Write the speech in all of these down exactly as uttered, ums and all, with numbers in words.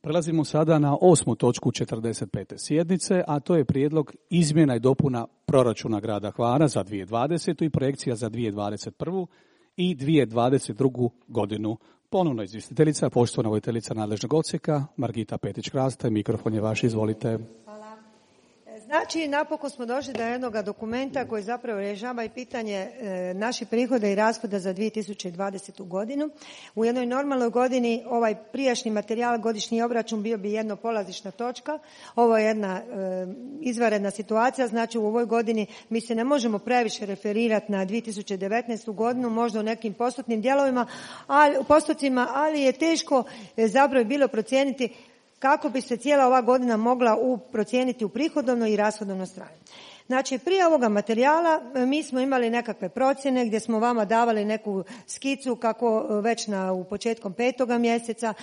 Prelazimo sada na osmu točku četrdeset pete sjednice, a to je prijedlog izmjena i dopuna proračuna grada Hvara za dvije tisuće dvadesetu i projekcija za dvije tisuće dvadeset prvu i dvije tisuće dvadeset drugu godinu. Ponovno izvjestiteljica, poštovana voditeljica nadležnog odsjeka, Margita Petić-Krasta, mikrofon je vaš, izvolite. Znači, napokon smo došli do jednog dokumenta koji zapravo rješava i pitanje e, naših prihoda i rashoda za dvije tisuće dvadesetu godinu. U jednoj normalnoj godini ovaj prijašnji materijal, godišnji obračun, bio bi jedna polazišna točka. Ovo je jedna e, izvanredna situacija, znači u ovoj godini mi se ne možemo previše referirati na dvije tisuće devetnaestu godinu, možda u nekim postotnim dijelovima, ali, u postocima, ali je teško e, zapravo bilo procijeniti kako bi se cijela ova godina mogla u, procijeniti u prihodovnoj i rashodovnoj strani. Znači, prije ovoga materijala mi smo imali nekakve procjene gdje smo vama davali neku skicu kako već na, u početkom petoga mjeseca,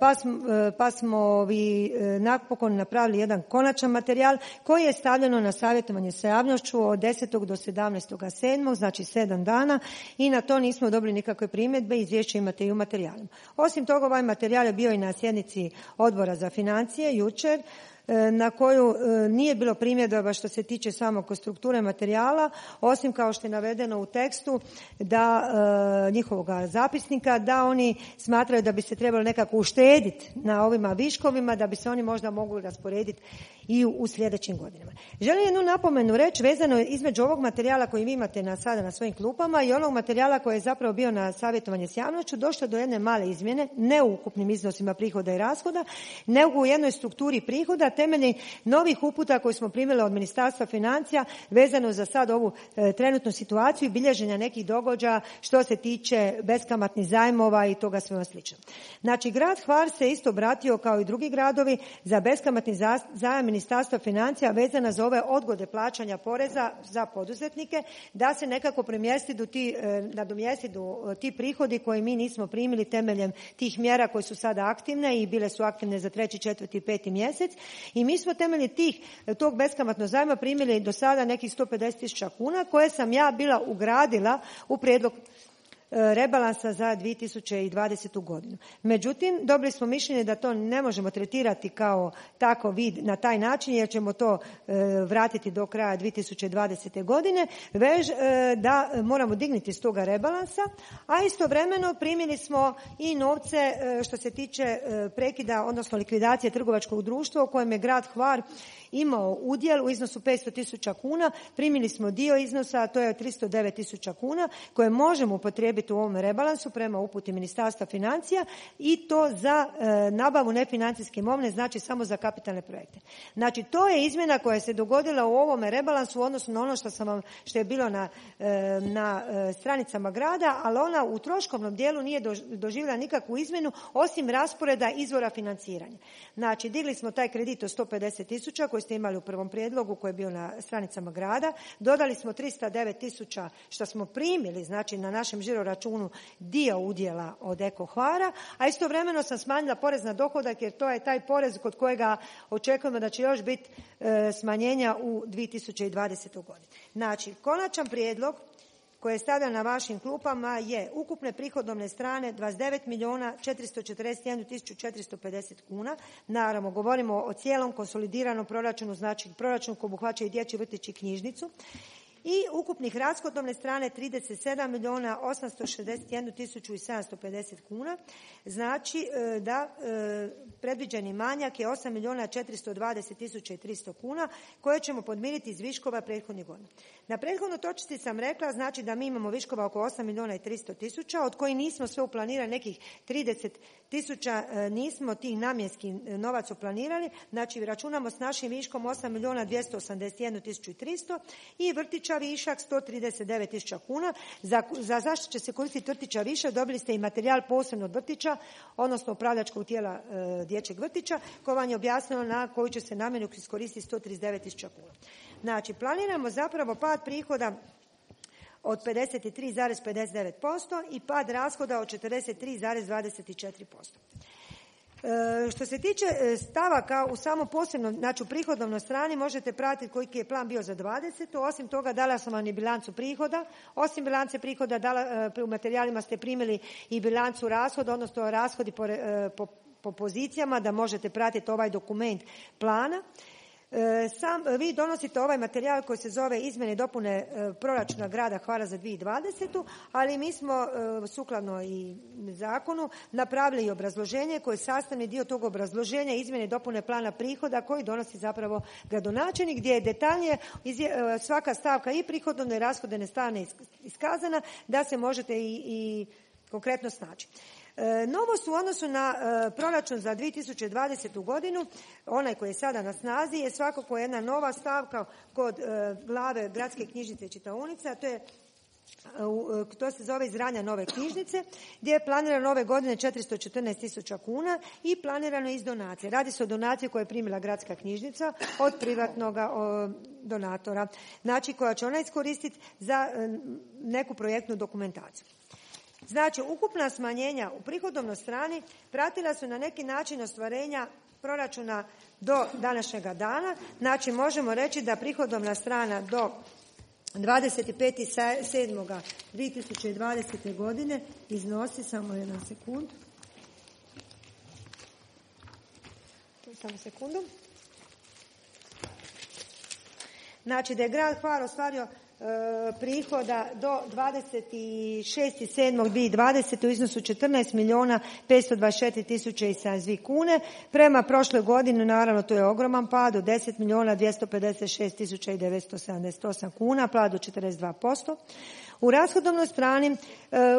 pa smo, pa smo vi napokon napravili jedan konačan materijal koji je stavljeno na savjetovanje sa javnošću od desetog do sedamnaestog sedmog, znači sedam dana, i na to nismo dobili nikakve primjedbe, izvješće imate i u materijalima. Osim toga, ovaj materijal je bio i na sjednici Odbora za financije jučer, na koju nije bilo primjedaba što se tiče samo strukture materijala, osim kao što je navedeno u tekstu da e, njihovog zapisnika, da oni smatraju da bi se trebalo nekako uštediti na ovima viškovima, da bi se oni možda mogli rasporediti i u, u sljedećim godinama. Želim jednu napomenu reći vezano između ovog materijala koji vi imate na, sada na svojim klupama i onog materijala koji je zapravo bio na savjetovanje s javnošću, došlo do jedne male izmjene, ne u ukupnim iznosima prihoda i rashoda, nego u jednoj strukturi prihoda temeljem novih uputa koje smo primili od Ministarstva financija vezano za sad ovu e, trenutnu situaciju i bilježenja nekih događaja što se tiče beskamatnih zajmova i toga svega slično. Znači, grad Hvar se isto obratio kao i drugi gradovi za beskamatni zajam Ministarstva financija vezana za ove odgode plaćanja poreza za poduzetnike, da se nekako premjestidu ti, e, nadomjestidu ti prihodi koje mi nismo primili temeljem tih mjera koje su sada aktivne i bile su aktivne za treći, četvrti i peti mjesec. I mi smo temeljem tih, tog beskamatnog zajma primili do sada nekih sto pedeset tisuća kuna koje sam ja bila ugradila u prijedlog rebalansa za dvije tisuće dvadesetu godinu. Međutim, dobili smo mišljenje da to ne možemo tretirati kao tako vid na taj način jer ćemo to e, vratiti do kraja dvije tisuće dvadesete godine, već e, da moramo dignuti s toga rebalansa, a istovremeno primili smo i novce e, što se tiče e, prekida, odnosno likvidacije trgovačkog društva u kojem je grad Hvar imao udjel u iznosu petsto tisuća kuna. Primili smo dio iznosa, a to je tristo devet tisuća kuna koje možemo upotrijebiti u ovom rebalansu prema uputi Ministarstva financija i to za e, nabavu nefinancijske imovine, znači samo za kapitalne projekte. Znači, to je izmjena koja se dogodila u ovome rebalansu u odnosu na ono što sam vam, što je bilo na, e, na e, stranicama grada, ali ona u troškovnom dijelu nije doživjela nikakvu izmjenu osim rasporeda izvora financiranja. Znači, digli smo taj kredit od sto pedeset tisuća koji ste imali u prvom prijedlogu koji je bio na stranicama grada, dodali smo tristo devet tisuća što smo primili, znači na našem žiro računu dio udjela od Eko Hvara, a istovremeno sam smanjila porez na dohodak jer to je taj porez kod kojega očekujemo da će još biti e, smanjenja u dvije tisuće dvadesetoj godini. Znači, konačan prijedlog koje je stavljan na vašim klupama je ukupne prihodovne strane dvadeset devet milijuna četiristo četrdeset jednu tisuću četiristo pedeset kuna. Naravno, govorimo o cijelom konsolidiranom proračunu, znači proračun koji obuhvaća i dječji vrtić i knjižnicu. I ukupnih rashodovne strane trideset sedam milijuna osamsto šezdeset jednu tisuću sedamsto pedeset kuna. Znači da predviđeni manjak je osam milijuna četiristo dvadeset tisuća tristo kuna koje ćemo podmiriti iz viškova prethodnih godina. Na prethodnoj točci sam rekla znači da mi imamo viškova oko osam milijuna tristo tisuća od kojih nismo sve uplanirali, nekih trideset tisuća nismo tih namjenskih novac uplanirali. Znači računamo s našim viškom osam milijuna dvjesto osamdeset jednu tisuću tristo i vrtića višak sto trideset devet tisuća kuna. Za, za zašto će se koristiti vrtića višak dobili ste i materijal posebno od vrtića, odnosno upravljačkog tijela e, dječjeg vrtića, koje vam je objasnilo na koju će se namjenu iskoristiti sto trideset devet tisuća kuna. Znači, planiramo zapravo pad prihoda od pedeset tri zarez pedeset devet posto i pad rashoda od četrdeset tri zarez dvadeset četiri posto. E, što se tiče stavaka u samo posebno, znači u prihodovnoj strani možete pratiti koji je plan bio za dvadesetu. Osim toga dala sam vam i bilancu prihoda. Osim bilance prihoda dala, u materijalima ste primili i bilancu rashoda, odnosno rashodi po, po po pozicijama da možete pratiti ovaj dokument plana. Sam, vi donosite ovaj materijal koji se zove izmjene i dopune proračuna grada Hvara za dvije tisuće dvadesetu. ali mi smo sukladno i zakonu napravili i obrazloženje koje je sastavni dio tog obrazloženja izmjene i dopune plana prihoda koji donosi zapravo gradonačelnik, gdje je detaljnije svaka stavka i prihodovne i rashodovne strane iskazana da se možete i, i konkretno snaći. Novost u odnosu na proračun za dvije tisuće dvadesetu. godinu, onaj koji je sada na snazi, je svakako jedna nova stavka kod glave gradske knjižnice i čitaonice, a to je to se zove izgradnja nove knjižnice, gdje je planirano ove godine četiristo četrnaest tisuća kuna i planirano iz donacije. Radi se o donaciji koju je primila gradska knjižnica od privatnog donatora, znači koja će ona iskoristiti za neku projektnu dokumentaciju. Znači, ukupna smanjenja u prihodovnoj strani pratila su na neki način ostvarenja proračuna do današnjega dana. Znači, možemo reći da prihodovna strana do dvadeset peti sedmog dvije tisuće dvadesete. godine iznosi, samo jedan sekund, samo sekundu, znači da je grad Hvar ostvario prihoda do dvadeset šestog sedmog dvije tisuće dvadesete. u iznosu četrnaest milijuna petsto dvadeset četiri tisuće i sedamdeset dvije kune. Prema prošloj godini, naravno, to je ogroman pad od deset milijuna dvjesto pedeset šest tisuća i devetsto sedamdeset osam kuna, pad od četrdeset dva posto. U rashodovnoj strani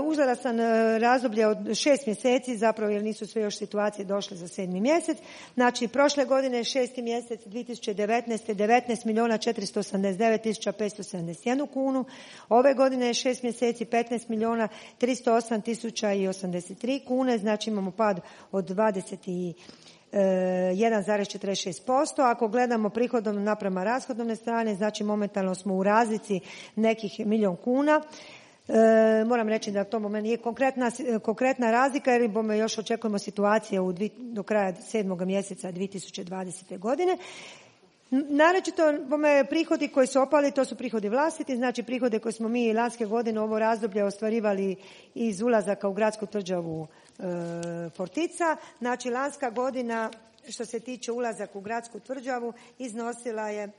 uzorastan razdoblje od šest mjeseci, zapravo jer nisu sve još situacije došle za sedmi mjesec. Znači, prošle godine šesti mjesec dvije tisuće devetnaeste. devetnaest milijuna četiristo osamdeset devet tisuća petsto sedamdeset jednu kunu. Ove godine je šest mjeseci petnaest milijuna tristo osam tisuća i osamdeset tri kune. Znači, imamo pad od dvadeset jedan zarez četrdeset šest posto. Ako gledamo prihodovno naprema rashodovne strane, znači momentalno smo u razlici nekih milijun kuna. E, moram reći da to moment nije konkretna, konkretna razlika, jer bome još očekujemo situacije u dvi, do kraja sedmog mjeseca dvije tisuće dvadesete. godine. Naročito bome prihodi koji su opali, to su prihodi vlastiti, znači prihode koje smo mi lanske godine ovo razdoblje ostvarivali iz ulazaka u gradsku tvrđavu e, Fortica. Znači, lanska godina što se tiče ulazaka u gradsku tvrđavu iznosila je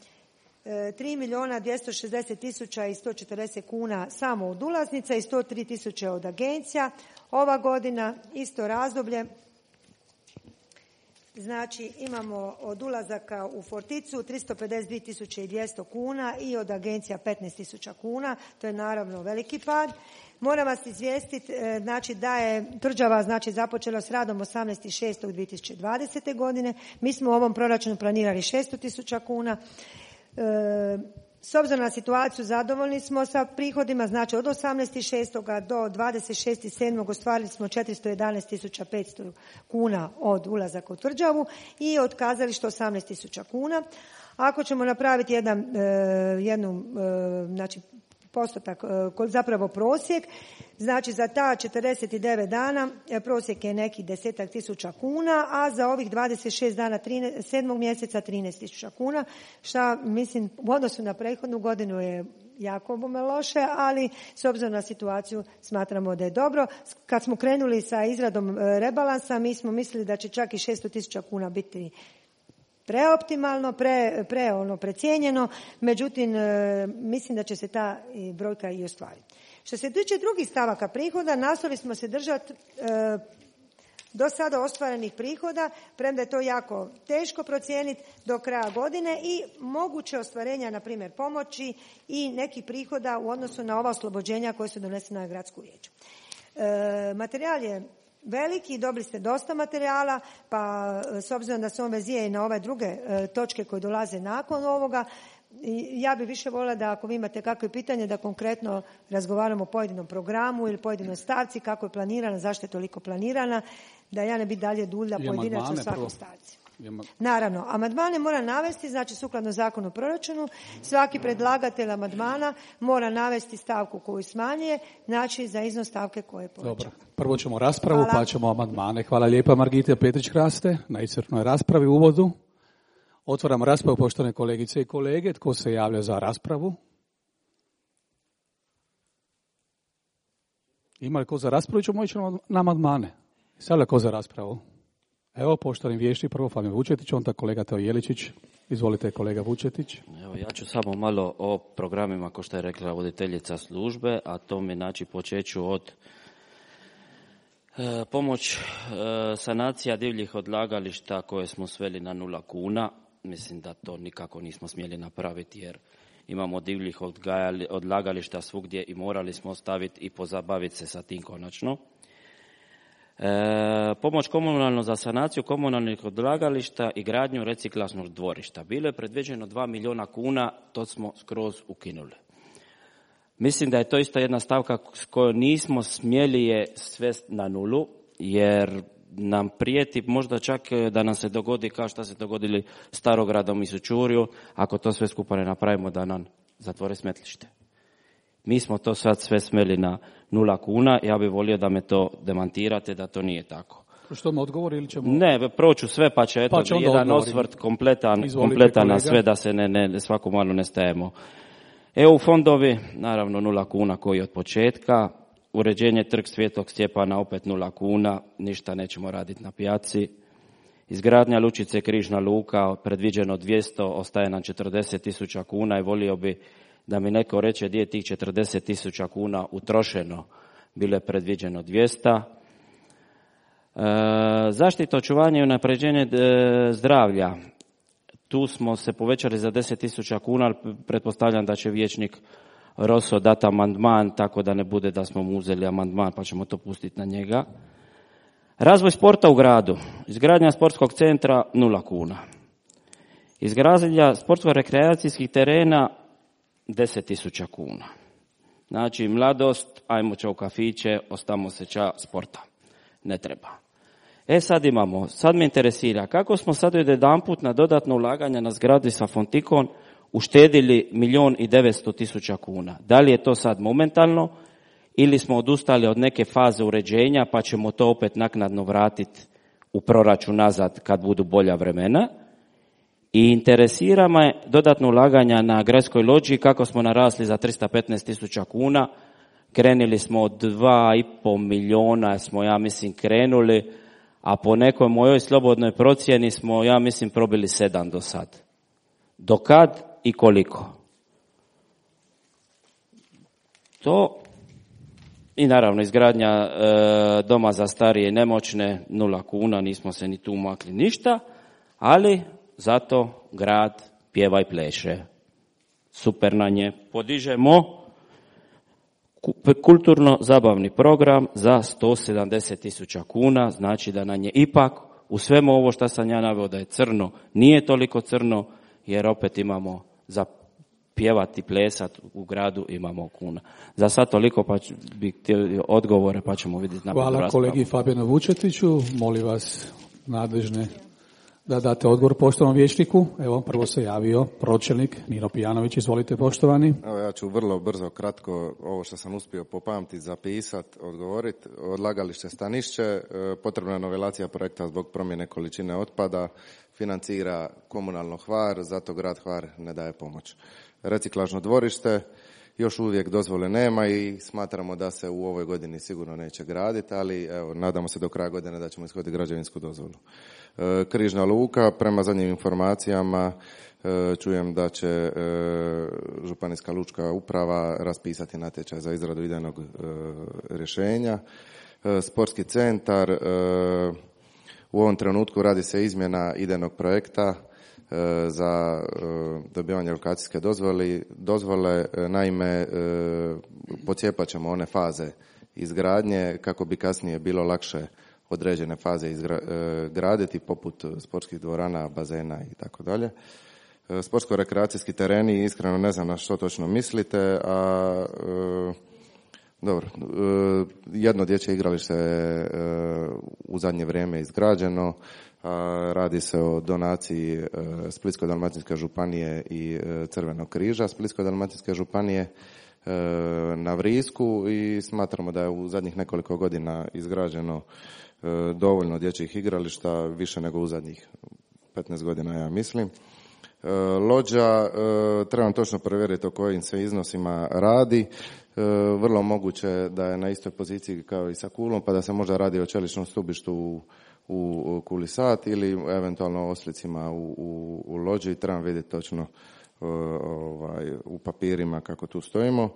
tri milijuna dvjesto šezdeset tisuća i sto četrdeset kuna samo od ulaznica i sto tri tisuće od agencija. Ova godina isto razdoblje, znači imamo od ulazaka u Forticu tristo pedeset dvije tisuće i dvjesto kuna i od agencija petnaest tisuća kuna. To je naravno veliki pad. Moram vas izvijestiti, znači, da je tvrđava znači, započela s radom osamnaesti šestog dvije tisuće dvadesete. godine. Mi smo u ovom proračunu planirali šesto tisuća kuna. E, s obzirom na situaciju zadovoljni smo sa prihodima, znači od osamnaesti šestog do dvadeset šestog sedmog ostvarili smo četiristo jedanaest tisuća petsto kuna od ulazaka u tvrđavu i od kazališta osamnaest tisuća kuna. Ako ćemo napraviti jedan, e, jednu, e, znači, postotak, zapravo prosjek, znači za ta četrdeset devet dana prosjek je nekih desetak tisuća kuna, a za ovih dvadeset šest dana sedmog mjeseca trinaest tisuća kuna, što mislim u odnosu na prethodnu godinu je jako bome loše, ali s obzirom na situaciju smatramo da je dobro. Kad smo krenuli sa izradom rebalansa, mi smo mislili da će čak i šesto tisuća kuna biti preoptimalno, pre, pre ono precijenjeno, međutim e, mislim da će se ta i brojka i ostvariti. Što se tiče drugih stavaka prihoda, nastojali smo se držati e, do sada ostvarenih prihoda, premda je to jako teško procijeniti do kraja godine, i moguće ostvarenja, na primjer pomoći i nekih prihoda u odnosu na ova oslobođenja koje su donesena na gradsku vijeću. E, materijal je veliki, dobili ste dosta materijala, pa s obzirom da se on vezuje i na ove druge e, točke koje dolaze nakon ovoga, ja bih više voljela da ako vi imate kakve pitanje da konkretno razgovaramo o pojedinom programu ili pojedinoj stavci, kako je planirana, zašto je toliko planirana, da ja ne bi dalje dulja pojedinačno u svakoj stavci. Naravno, amandmane mora navesti, znači sukladno zakonu o proračunu, svaki predlagatelj amandmana mora navesti stavku koju smanjuje, znači za iznos stavke koje je povećana. Dobro, prvo ćemo raspravu, Hvala. Pa ćemo amandmane. Hvala lijepa Margita Petrić-Kraste na iscrpnoj raspravi u uvodu. Otvaramo raspravu, poštovane kolegice i kolege. Tko se javlja za raspravu? Ima li ko za raspravu? Ćemo ići na amandmane. Sada li ko za raspravu? Evo, poštovani vješti, prvo Fabijan Vučetić, onda kolega Teo Jeličić. Izvolite, kolega Vučetić. Evo, ja ću samo malo o programima, kao što je rekla voditeljica službe, a to mi znači počeću od e, pomoć e, sanacija divljih odlagališta koje smo sveli na nula kuna. Mislim da to nikako nismo smjeli napraviti jer imamo divljih odlagališta svugdje i morali smo ostaviti i pozabaviti se sa tim konačno. E, pomoć komunalno za sanaciju komunalnih odlagališta i gradnju reciklažnog dvorišta. Bilo je predviđeno dva milijuna kuna, to smo skroz ukinuli. Mislim da je to isto jedna stavka s kojoj nismo smjeli je svesti na nulu, jer nam prijeti možda čak da nam se dogodi kao što se dogodili Starogradom i Sučurju, ako to sve skupa ne napravimo da nam zatvore smetlište. Mi smo to sad sve smeli na nula kuna, ja bih volio da me to demantirate, da to nije tako. Što mu odgovori ili ćemo... Ne, proću sve pa će eto, pa jedan osvrt kompletan, kompletan na sve da se ne, ne, svako malo ne stajemo. E U fondovi, naravno nula kuna koji od početka, uređenje Trg Svetog Stjepana opet nula kuna, ništa nećemo raditi na pijaci. Izgradnja lučice Križna luka, predviđeno dvjesto, ostaje nam četrdeset tisuća kuna i volio bi da mi neko reče gdje je tih četrdeset tisuća kuna utrošeno, bilo je predviđeno dvjesto. E, zaštita, očuvanje i unapređenje zdravlja. Tu smo se povećali za deset tisuća kuna, ali pretpostavljam da će vijećnik Roso dati amandman, tako da ne bude da smo mu uzeli amandman, pa ćemo to pustiti na njega. Razvoj sporta u gradu. Izgradnja sportskog centra nula kuna. Izgradnja sportsko-rekreacijskih terena deset tisuća kuna. Znači, mladost, ajmo ča u kafiće, ostamo se ča sporta. Ne treba. E sad imamo, sad me interesira, kako smo sad jedanput na dodatno ulaganje na zgradi sa Fontikon uštedili milijun i devetsto tisuća kuna. Da li je to sad momentalno ili smo odustali od neke faze uređenja pa ćemo to opet naknadno vratiti u proračun nazad kad budu bolja vremena? I interesira me dodatno ulaganja na gradskoj lođi, kako smo narasli za tristo petnaest tisuća kuna. Krenuli smo od dva i pol milijuna, smo ja mislim krenuli, a po nekoj mojoj slobodnoj procjeni smo ja mislim probili sedam do sad. Do kad i koliko? To i naravno izgradnja e, doma za starije i nemoćne nula kuna, nismo se ni tu makli ništa, ali zato grad pjeva i pleše. Super na nje. Podižemo kulturno-zabavni program za sto sedamdeset tisuća kuna, znači da na nje ipak u svemu ovo što sam ja naveo da je crno, nije toliko crno, jer opet imamo za pjevati i plesati u gradu imamo kuna. Za sad toliko, pa bih htio odgovore, pa ćemo vidjeti na Hvala kolegi Fabijanu Vučetiću. Molim vas nadležne da date odgovor poštovanom vijećniku. Evo, prvo se javio pročelnik Nino Pijanović. Izvolite, poštovani. Evo, ja ću vrlo brzo, kratko, ovo što sam uspio popamtiti, zapisati, odgovoriti. Odlagalište Stanišće, potrebna je novelacija projekta zbog promjene količine otpada, financira komunalno Hvar, zato grad Hvar ne daje pomoć. Reciklažno dvorište, još uvijek dozvole nema i smatramo da se u ovoj godini sigurno neće graditi, ali evo, nadamo se do kraja godine da ćemo ishoditi građevinsku dozvolu. E, Križna luka, prema zadnjim informacijama e, čujem da će e, Županijska lučka uprava raspisati natječaj za izradu idejnog e, rješenja. E, sportski centar, e, u ovom trenutku radi se izmjena idejnog projekta za dobivanje lokacijske dozvole. dozvole. Naime, pocijepat ćemo one faze izgradnje kako bi kasnije bilo lakše određene faze izgraditi, poput sportskih dvorana, bazena i tako dalje. Sportsko-rekreacijski tereni, iskreno ne znam na što točno mislite, a dobro, jedno dječje igralište je u zadnje vrijeme izgrađeno. Radi se o donaciji Splitsko-dalmatinske županije i Crvenog križa Splitsko-dalmatinske županije na Vrisku i smatramo da je u zadnjih nekoliko godina izgrađeno dovoljno dječjih igrališta, više nego u zadnjih petnaest godina, ja mislim. Lođa, trebam točno provjeriti o kojim se iznosima radi. Vrlo moguće da je na istoj poziciji kao i sa Kulom, pa da se možda radi o čeličnom stubištu u u Kuli Sat ili eventualno Oslicima u, u, u Lođi. Trebam vidjeti točno ovaj, u papirima kako tu stojimo.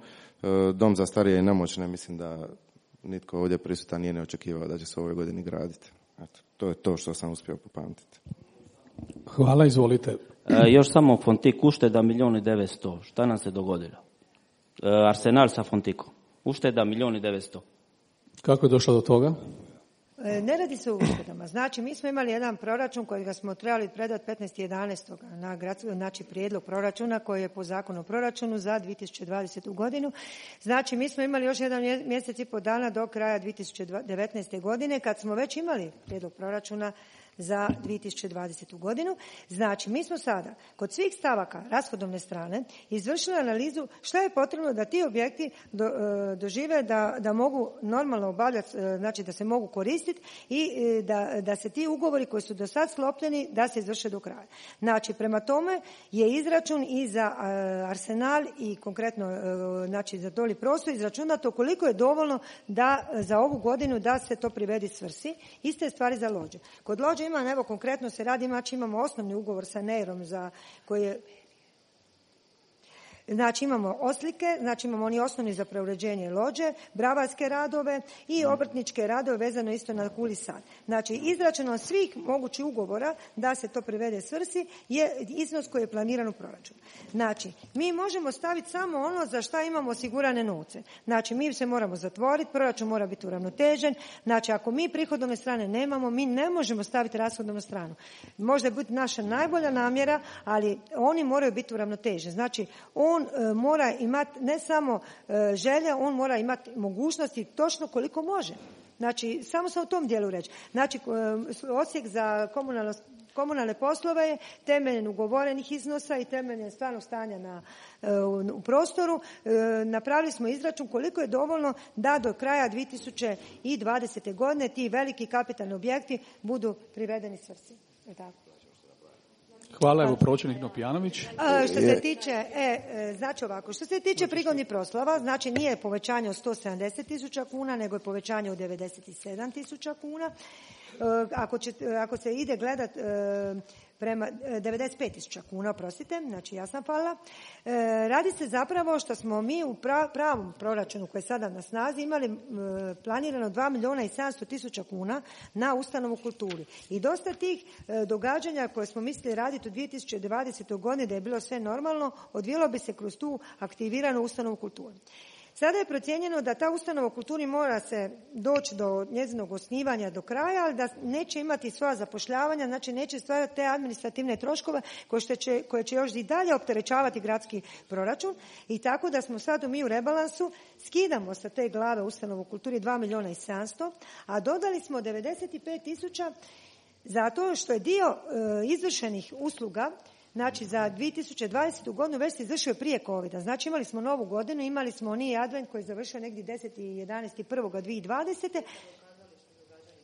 Dom za starije i nemoćne, mislim da nitko ovdje prisutan nije ne očekivao da će se ove godine graditi. Eto, to je to što sam uspio popamtiti. Hvala, izvolite. E, još samo Fontik ušteda milijun i devetsto. Šta nam se dogodilo? E, Arsenal sa Fontikom. Ušteda milijun i devetsto. Kako je došlo do toga? Ne radi se o uštedama. Znači, mi smo imali jedan proračun kojega smo trebali predati petnaestog jedanaestog na gradsko, znači prijedlog proračuna koji je po zakonu o proračunu za dvije tisuće dvadesetu godinu. Znači, mi smo imali još jedan mjesec i pol dana do kraja dvije tisuće devetnaeste. godine kad smo već imali prijedlog proračuna za dvije tisuće dvadesetu. godinu. Znači, mi smo sada kod svih stavaka rashodovne strane izvršili analizu šta je potrebno da ti objekti do, dožive da, da mogu normalno obavljati, znači da se mogu koristiti i da, da se ti ugovori koji su do sad sklopljeni da se izvrše do kraja. Znači, prema tome je izračun i za Arsenal i konkretno znači za doli prostor izračunato koliko je dovoljno da za ovu godinu da se to privedi svrsi. Iste stvari za Lođe. Kod Lođe ima, evo konkretno se radi, znači imamo osnovni ugovor sa Neirom za koji je, znači imamo Oslike, znači imamo oni osnovni za preuređenje Lođe, bravarske radove i obrtničke radove vezano isto na Kuli Sat. Znači izračunom svih mogućih ugovora da se to privede svrsi je iznos koji je planiran u proračunu. Znači mi možemo staviti samo ono za šta imamo osigurane novce. Znači mi se moramo zatvoriti, proračun mora biti uravnotežen. Znači ako mi prihodovne strane nemamo, mi ne možemo staviti rashodovnu stranu. Može biti naša najbolja namjera, ali oni moraju biti uravnoteženi. Znači on On e, mora imati ne samo e, želje, on mora imati mogućnosti točno koliko može. Znači, samo sam u tom dijelu reći. Znači, e, odsjek za komunalno, komunalne poslove je temeljen ugovorenih iznosa i temeljen stvarnog stanja na, e, u, u prostoru. E, napravili smo izračun koliko je dovoljno da do kraja dvije tisuće dvadesete. godine ti veliki kapitalni objekti budu privedeni svrsi. Je tako? Hvala, evo pročelnik Nopijanović. A, što se tiče, e, e, znači ovako, što se tiče prigodnih proslava, znači nije povećanje od sto sedamdeset tisuća kuna, nego je povećanje od devedeset sedam tisuća kuna. E, ako, će, ako se ide gledat e, prema devedeset pet tisuća kuna, oprostite, znači ja sam falila. E, radi se zapravo što smo mi u pra, pravom proračunu koji je sada na snazi imali e, planirano dva milijuna i sedamsto tisuća kuna na ustanovu kulturi. I dosta tih e, događanja koje smo mislili raditi u dvije tisuće dvadesetoj. godini da je bilo sve normalno, odvijelo bi se kroz tu aktiviranu ustanovu kulturi. Sada je procijenjeno da ta ustanova u kulturi mora se doći do njezinog osnivanja do kraja, ali da neće imati svoja zapošljavanja, znači neće stvarati te administrativne troškove koje će, koje će još i dalje opterećavati gradski proračun. I tako da smo sad mi u rebalansu skidamo sa te glave ustanovu u kulturi dva milijuna i sedamsto, a dodali smo devedeset pet tisuća zato što je dio e, izvršenih usluga. Znači, za dvije tisuće dvadesetu. godinu već se izvršio prije covida. Znači, imali smo novu godinu, imali smo oni advent koji je završio negdje deset jedanaest prvog dvije tisuće dvadesete.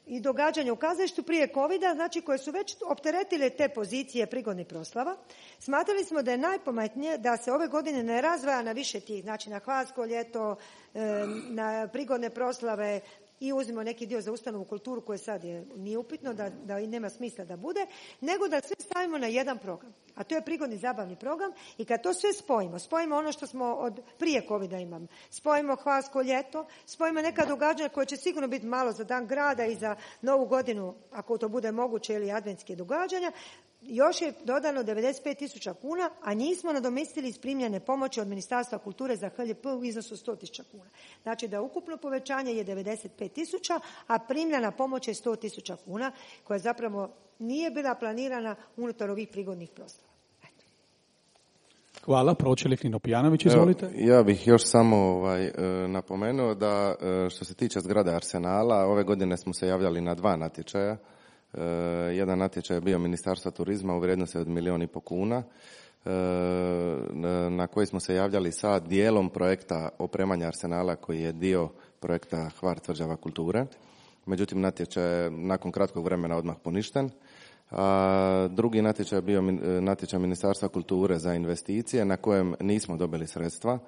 I događanja u kazalištu prije covida, znači koje su već opteretile te pozicije prigodnih proslava. Smatrali smo da je najpametnije da se ove godine ne razdvaja na više tih, znači na Hvarsko ljeto, na prigodne proslave, i uzmemo neki dio za ustanovu kulturu koje sad je, nije upitno da, da nema smisla da bude, nego da sve stavimo na jedan program. A to je prigodni zabavni program i kad to sve spojimo, spojimo ono što smo od prije covida imamo, spojimo Hvarsko ljeto, spojimo neka događanja koje će sigurno biti malo za dan grada i za novu godinu, ako to bude moguće, ili adventske događanja, još je dodano devedeset pet tisuća kuna, a njih smo nadomjestili iz primljene pomoći od Ministarstva kulture za H L P u iznosu sto tisuća kuna. Znači da ukupno povećanje je devedeset pet tisuća, a primljena pomoć je sto tisuća kuna, koja zapravo nije bila planirana unutar ovih prigodnih proslava. Hvala. Pročelnik Nino Pijanović, izvolite. Evo, ja bih još samo ovaj, napomenuo da što se tiče zgrade Arsenala, ove godine smo se javljali na dva natječaja. Uh, jedan natječaj je bio Ministarstva turizma u vrijednosti od milijun i po kuna, uh, na koji smo se javljali sa dijelom projekta opremanja Arsenala koji je dio projekta Hvar tvrđava kulture. Međutim, natječaj je nakon kratkog vremena odmah poništen. A drugi natječaj je bio natječaj Ministarstva kulture za investicije na kojem nismo dobili sredstva.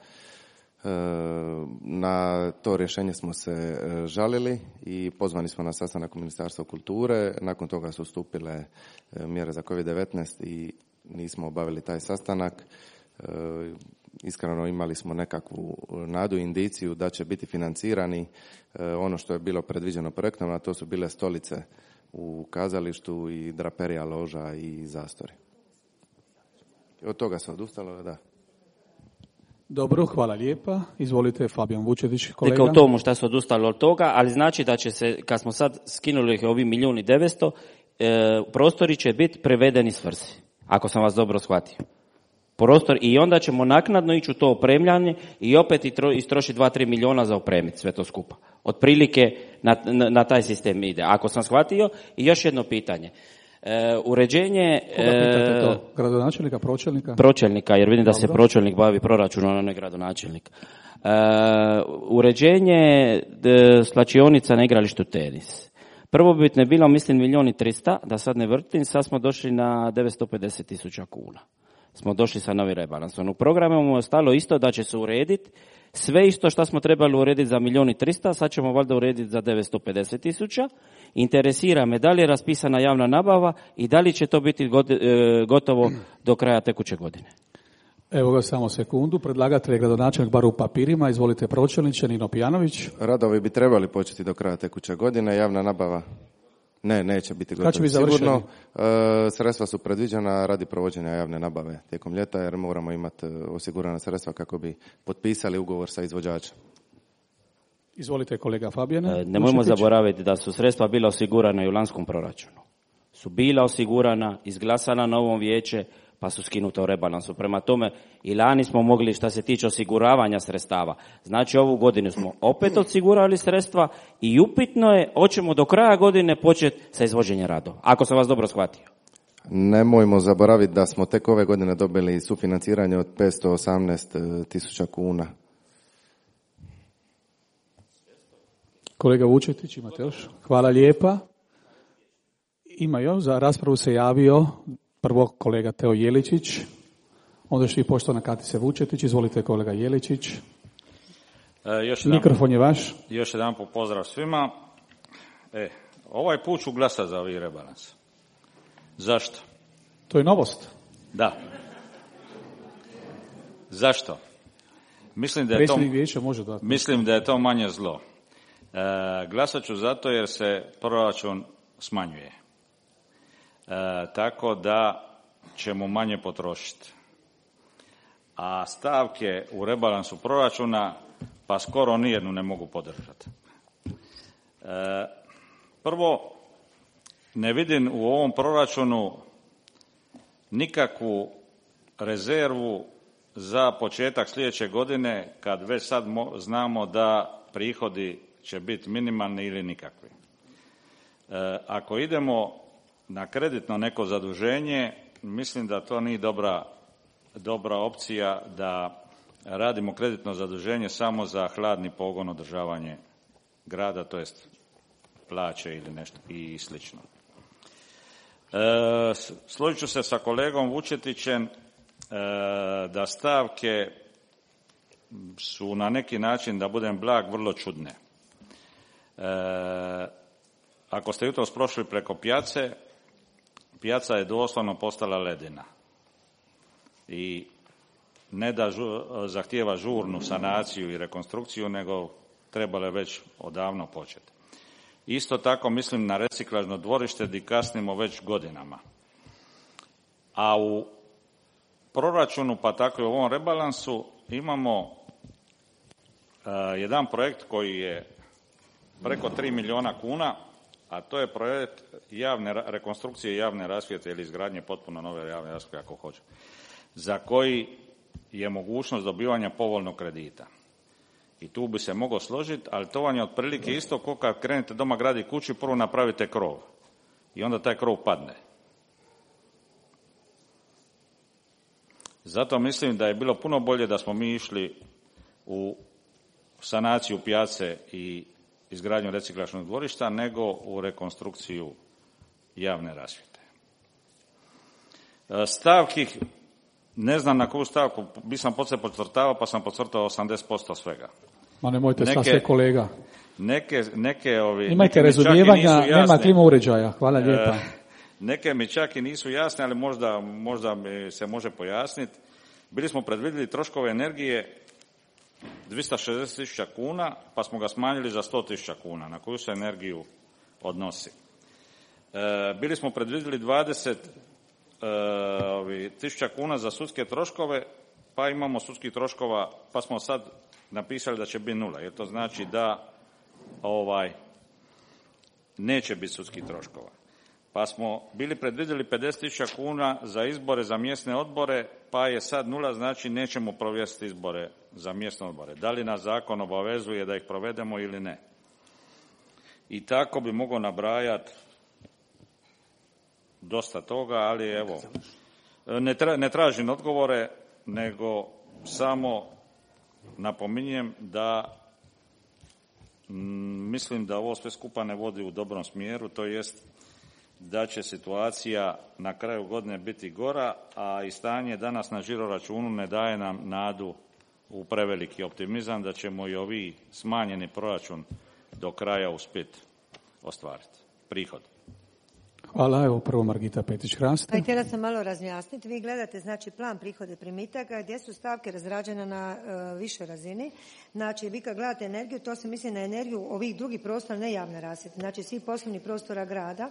Na to rješenje smo se žalili i pozvani smo na sastanak u Ministarstvu kulture. Nakon toga su stupile mjere za kovid devetnaest i nismo obavili taj sastanak. Iskreno imali smo nekakvu nadu i indiciju da će biti financirani ono što je bilo predviđeno projektom, a to su bile stolice u kazalištu i draperija loža i zastori. Od toga se odustalo, da. Dobro, hvala lijepa. Izvolite, Fabijan Vučetić, kolega. Rekao tomu šta se odustalo od toga, ali znači da će se, kad smo sad skinuli ovi milijun i devetsto, e, prostori će biti prevedeni svrsi, ako sam vas dobro shvatio. Prostor, i onda ćemo naknadno ići u to opremljanje i opet istrošiti dva do tri milijuna za opremiti sve to skupa. Otprilike na, na, na taj sistem ide. Ako sam shvatio, i još jedno pitanje. E, uređenje... Koga pitate to? Gradonačelnika, pročelnika? Pročelnika, jer vidim da se pročelnik bavi proračunom, a ne gradonačelnik. E, uređenje de, slačionica na igralištu tenis. Prvobitno je bilo, mislim, milijun i trista, da sad ne vrtim, sad smo došli na devetsto pedeset tisuća kuna. Smo došli sa novi rebalansom. U programu mu je ostalo isto da će se urediti sve isto što smo trebali urediti za milijun i trista, sad ćemo valjda urediti za devetsto pedeset tisuća. Interesira me da li je raspisana javna nabava i da li će to biti gotovo do kraja tekuće godine. Evo ga, samo sekundu. Predlagatelj je gradonačelnik, bar u papirima. Izvolite, pročelniče, Nino Pijanović. Radovi bi trebali početi do kraja tekuće godine. Javna nabava ne, neće biti gotovo. Kad će biti završeni? Sigurno, e, sredstva su predviđena radi provođenja javne nabave tijekom ljeta, jer moramo imati osigurana sredstva kako bi potpisali ugovor sa izvođačem. Izvolite, kolega Fabijane. E, nemojmo zaboraviti da su sredstva bila osigurana i u lanskom proračunu. Su bila osigurana, izglasana na ovom vijeće, pa su skinuta u rebalansu. Prema tome, i lani smo mogli, što se tiče osiguravanja sredstava. Znači, ovu godinu smo opet osigurali sredstva i upitno je, hoćemo do kraja godine početi sa izvođenjem radova, ako sam vas dobro shvatio. Nemojmo zaboraviti da smo tek ove godine dobili sufinanciranje od petsto osamnaest tisuća kuna. Kolega Vučetić, imate još? Hvala lijepa. Ima još, za raspravu se javio prvo kolega Teo Jeličić, onda što i poštovana Katice Vučetić. Izvolite, kolega Jeličić. E, još jedan, Mikrofon je vaš. Još jedan po pozdrav svima. E, ovaj put ću glasati za ovaj rebalans. Zašto? To je novost. Da. Zašto? Mislim da je Predsjednik to, vijeća može dati. mislim da je to manje zlo. E, glasat ću zato jer se proračun smanjuje. E, tako da ćemo manje potrošiti. A stavke u rebalansu proračuna pa skoro nijednu ne mogu podržati. E, prvo, ne vidim u ovom proračunu nikakvu rezervu za početak sljedeće godine, kad već sad mo- znamo da prihodi će biti minimalni ili nikakvi. E, ako idemo na kreditno neko zaduženje, mislim da to nije dobra, dobra opcija da radimo kreditno zaduženje samo za hladni pogon, održavanje grada, to jest plaće ili nešto i slično. E, složit ću se sa kolegom Vučetićem e, da stavke su na neki način, da budem blag, vrlo čudne. E, ako ste jutros prošli preko pijace, pijaca je doslovno postala ledina i ne da žu, zahtijeva žurnu sanaciju i rekonstrukciju, nego trebalo je već odavno početi. Isto tako mislim na reciklažno dvorište gdje kasnimo već godinama. A u proračunu, pa tako i u ovom rebalansu, imamo uh, jedan projekt koji je preko tri milijuna kuna, a to je projekt javne rekonstrukcije javne rasvjete ili izgradnje potpuno nove javne rasvjete, ako hoće, za koji je mogućnost dobivanja povoljnog kredita. I tu bi se moglo složiti, ali to vam je otprilike isto kao kad krenete doma graditi kuću, prvo napravite krov i onda taj krov padne. Zato mislim da je bilo puno bolje da smo mi išli u sanaciju pijace i izgradnju reciklažnog dvorišta nego u rekonstrukciju javne rasvjete. Stavki ne znam na koju stavku, bi sam poslije podcrtavao, pa sam podcrtao osamdeset posto svega. Ma nemojte sa sve kolega. Neke, neke ovi... Imajte razumijevanja, nema klima uređaja. Hvala lijepa. E, neke mi čak i nisu jasne, ali možda, možda mi se može pojasniti. Bili smo predvidjeli troškove energije dvjesto šezdeset tisuća kuna, pa smo ga smanjili za sto tisuća kuna. Na koju se energiju odnosi? E, bili smo predvidjeli dvadeset tisuća kuna za sudske troškove, pa imamo sudskih troškova, pa smo sad napisali da će biti nula, jer to znači da ovaj neće biti sudskih troškova. Pa smo bili predvidjeli pedeset tisuća kuna za izbore za mjesne odbore, pa je sad nula, znači nećemo provesti izbore za mjesne odbore. Da li nas zakon obavezuje da ih provedemo ili ne? I tako bi mogao nabrajati dosta toga, ali evo, ne, tra, ne tražim odgovore, nego samo napominjem da m, mislim da ovo sve skupa ne vodi u dobrom smjeru, to jest da će situacija na kraju godine biti gora, a i stanje danas na žiroračunu ne daje nam nadu u preveliki optimizam da ćemo i ovi smanjeni proračun do kraja uspjeti ostvariti prihod. Hvala, evo prvo Margita Petić-Hrast. Pa htjela sam malo razjasniti. Vi gledate znači plan prihode primitaka gdje su stavke razrađene na uh, višoj razini. Znači vi kad gledate energiju, to se misli na energiju ovih drugih prostora, ne javne rasvjete, znači svih poslovnih prostora grada.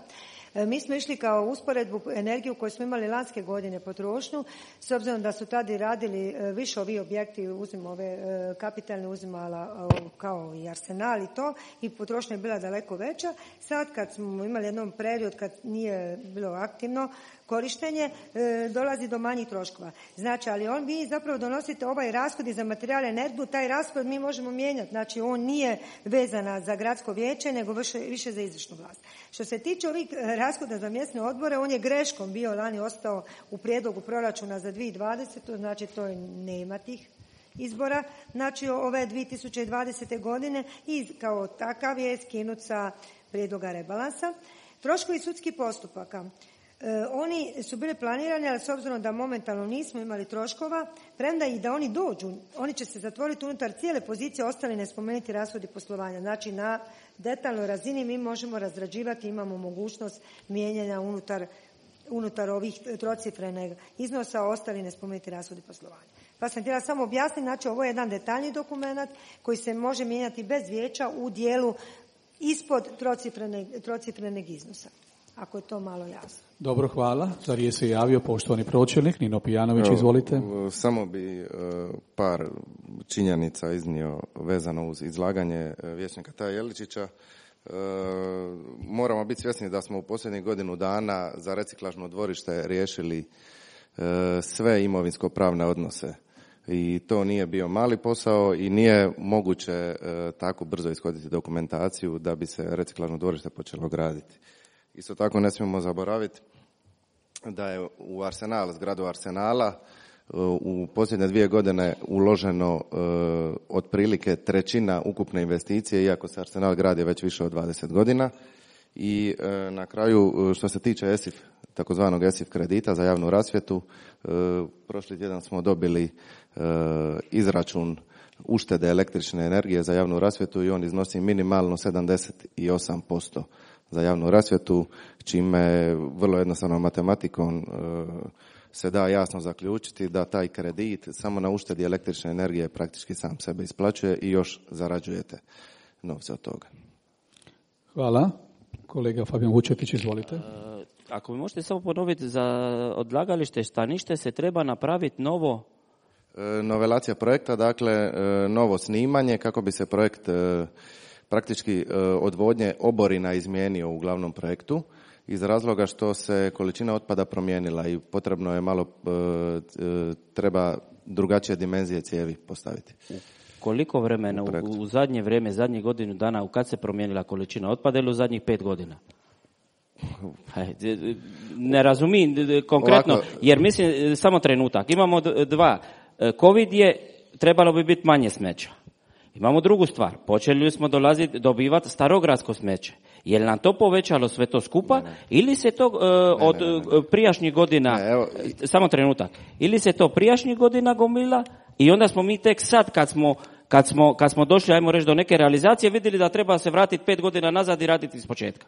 E, mi smo išli kao usporedbu energiju koju smo imali lanske godine potrošnju, s obzirom da su tada radili e, više ovi objekti, uzim ove e, kapitalne uzimala e, kao i Arsenal i to, i potrošnja je bila daleko veća. Sad kad smo imali jednom period kad nije bilo aktivno korištenje, e, dolazi do manjih troškova. Znači, ali on vi zapravo donosite ovaj rashod za materijal i energiju, taj rashod mi možemo mijenjati. Znači, on nije vezana za gradsko vijeće, nego više, više za izvršnu vlast. Što se tiče ovih rashoda za mjesne odbore, on je greškom bio lani ostao u prijedlogu proračuna za dvije tisuće dvadesete. Znači, to je nema tih izbora. Znači, ove dvije tisuće dvadesete godine i kao takav je skinut sa prijedloga rebalansa. Troškovi sudskih postupaka. E, oni su bili planirani, ali s obzirom da momentalno nismo imali troškova, premda i da oni dođu, oni će se zatvoriti unutar cijele pozicije, ostali ne spomenuti rashodi poslovanja. Znači na detaljnoj razini mi možemo razrađivati, imamo mogućnost mijenjanja unutar, unutar ovih trocifrenih iznosa, ostali ne spomenuti rashodi poslovanja. Pa sam htjela samo objasniti, znači ovo je jedan detaljni dokument koji se može mijenjati bez vijeća u dijelu ispod trocifrenog iznosa. Ako je to malo jasno. Dobro, hvala. Za riječ se javio poštovani pročelnik Nino Pijanović, izvolite. Samo bi par činjenica iznio vezano uz izlaganje vijećnika Taja Jeličića. Moramo biti svjesni da smo u posljednjih godinu dana za reciklažno dvorište riješili sve imovinsko-pravne odnose. I to nije bio mali posao i nije moguće e, tako brzo ishoditi dokumentaciju da bi se reciklažno dvorište počelo graditi. Isto tako ne smijemo zaboraviti da je u Arsenal, zgradu Arsenala, e, u posljednje dvije godine uloženo e, otprilike trećina ukupne investicije, iako se Arsenal gradi već više od dvadeset godina. I e, na kraju, što se tiče E S I F, takozvanog E S I F kredita za javnu rasvjetu, e, prošli tjedan smo dobili e, izračun uštede električne energije za javnu rasvjetu i on iznosi minimalno sedamdeset osam posto za javnu rasvjetu, čime vrlo jednostavnom matematikom e, se da jasno zaključiti da taj kredit samo na uštedi električne energije praktički sam sebe isplaćuje i još zarađujete novce od toga. Hvala. Kolega Fabijan Vučetić, izvolite. Ako mi možete samo ponoviti, za odlagalište Stanište se treba napraviti novo... Novelacija projekta, dakle novo snimanje kako bi se projekt praktički odvodnje oborina izmijenio u glavnom projektu iz razloga što se količina otpada promijenila i potrebno je malo, treba drugačije dimenzije cijevi postaviti. Koliko vremena u, u zadnje vrijeme, zadnjih godinu dana, u kad se promijenila količina otpada ili u zadnjih pet godina? Ne razumijem konkretno, ovako, jer mislim, samo trenutak, imamo dva. Covid je, trebalo bi biti manje smeća. Imamo drugu stvar, počeli smo dolaziti, dobivati starogradsko smeće. Je li nam to povećalo sve to skupa ne, ne. ili se to uh, ne, od ne, ne, ne. prijašnjih godina, ne, evo. samo trenutak, ili se to prijašnjih godina gomila i onda smo mi tek sad kad smo, kad smo, kad smo došli, ajmo reći, do neke realizacije, vidjeli da treba se vratiti pet godina nazad i raditi iz početka.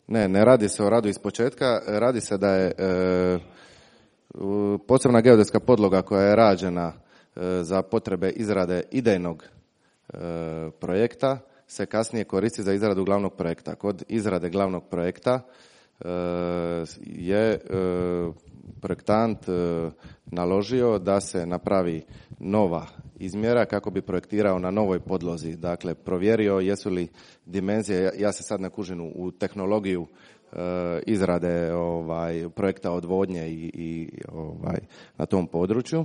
Ne, ne radi se o radu iz početka, radi se da je e, posebna geodetska podloga koja je rađena e, za potrebe izrade idejnog e, projekta se kasnije koristi za izradu glavnog projekta. Kod izrade glavnog projekta e, je e, projektant e, naložio da se napravi nova izmjera kako bi projektirao na novoj podlozi. Dakle, provjerio jesu li dimenzije, ja se sad ne kužim u tehnologiju e, izrade ovaj, projekta odvodnje i, i ovaj, na tom području.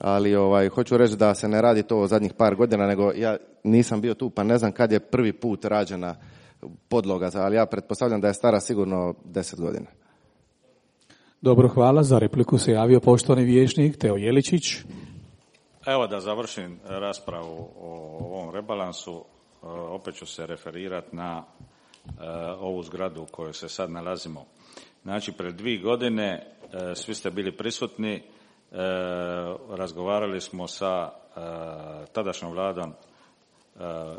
Ali ovaj, hoću reći da se ne radi to zadnjih par godina, nego ja nisam bio tu pa ne znam kad je prvi put rađena podloga, ali ja pretpostavljam da je stara sigurno deset godina. Dobro, hvala. Za repliku se javio poštovani vijećnik Teo Jeličić. Evo da završim raspravu o ovom rebalansu, opet ću se referirati na ovu zgradu u kojoj se sad nalazimo. Znači, pred dvije godine svi ste bili prisutni, razgovarali smo sa tadašnjom vladom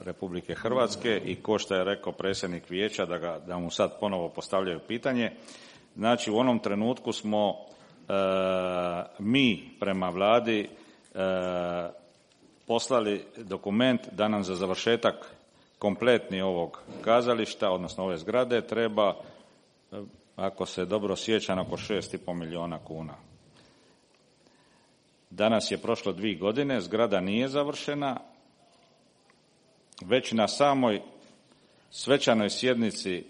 Republike Hrvatske i ko što je rekao predsjednik vijeća da, ga, da mu sad ponovo postavljaju pitanje. Znači, u onom trenutku smo mi prema vladi E, poslali dokument da nam za završetak kompletni ovog kazališta, odnosno ove zgrade, treba, ako se dobro sjećam, oko šest i pol milijuna kuna. Danas je prošlo dvije godine, zgrada nije završena, već na samoj svečanoj sjednici e,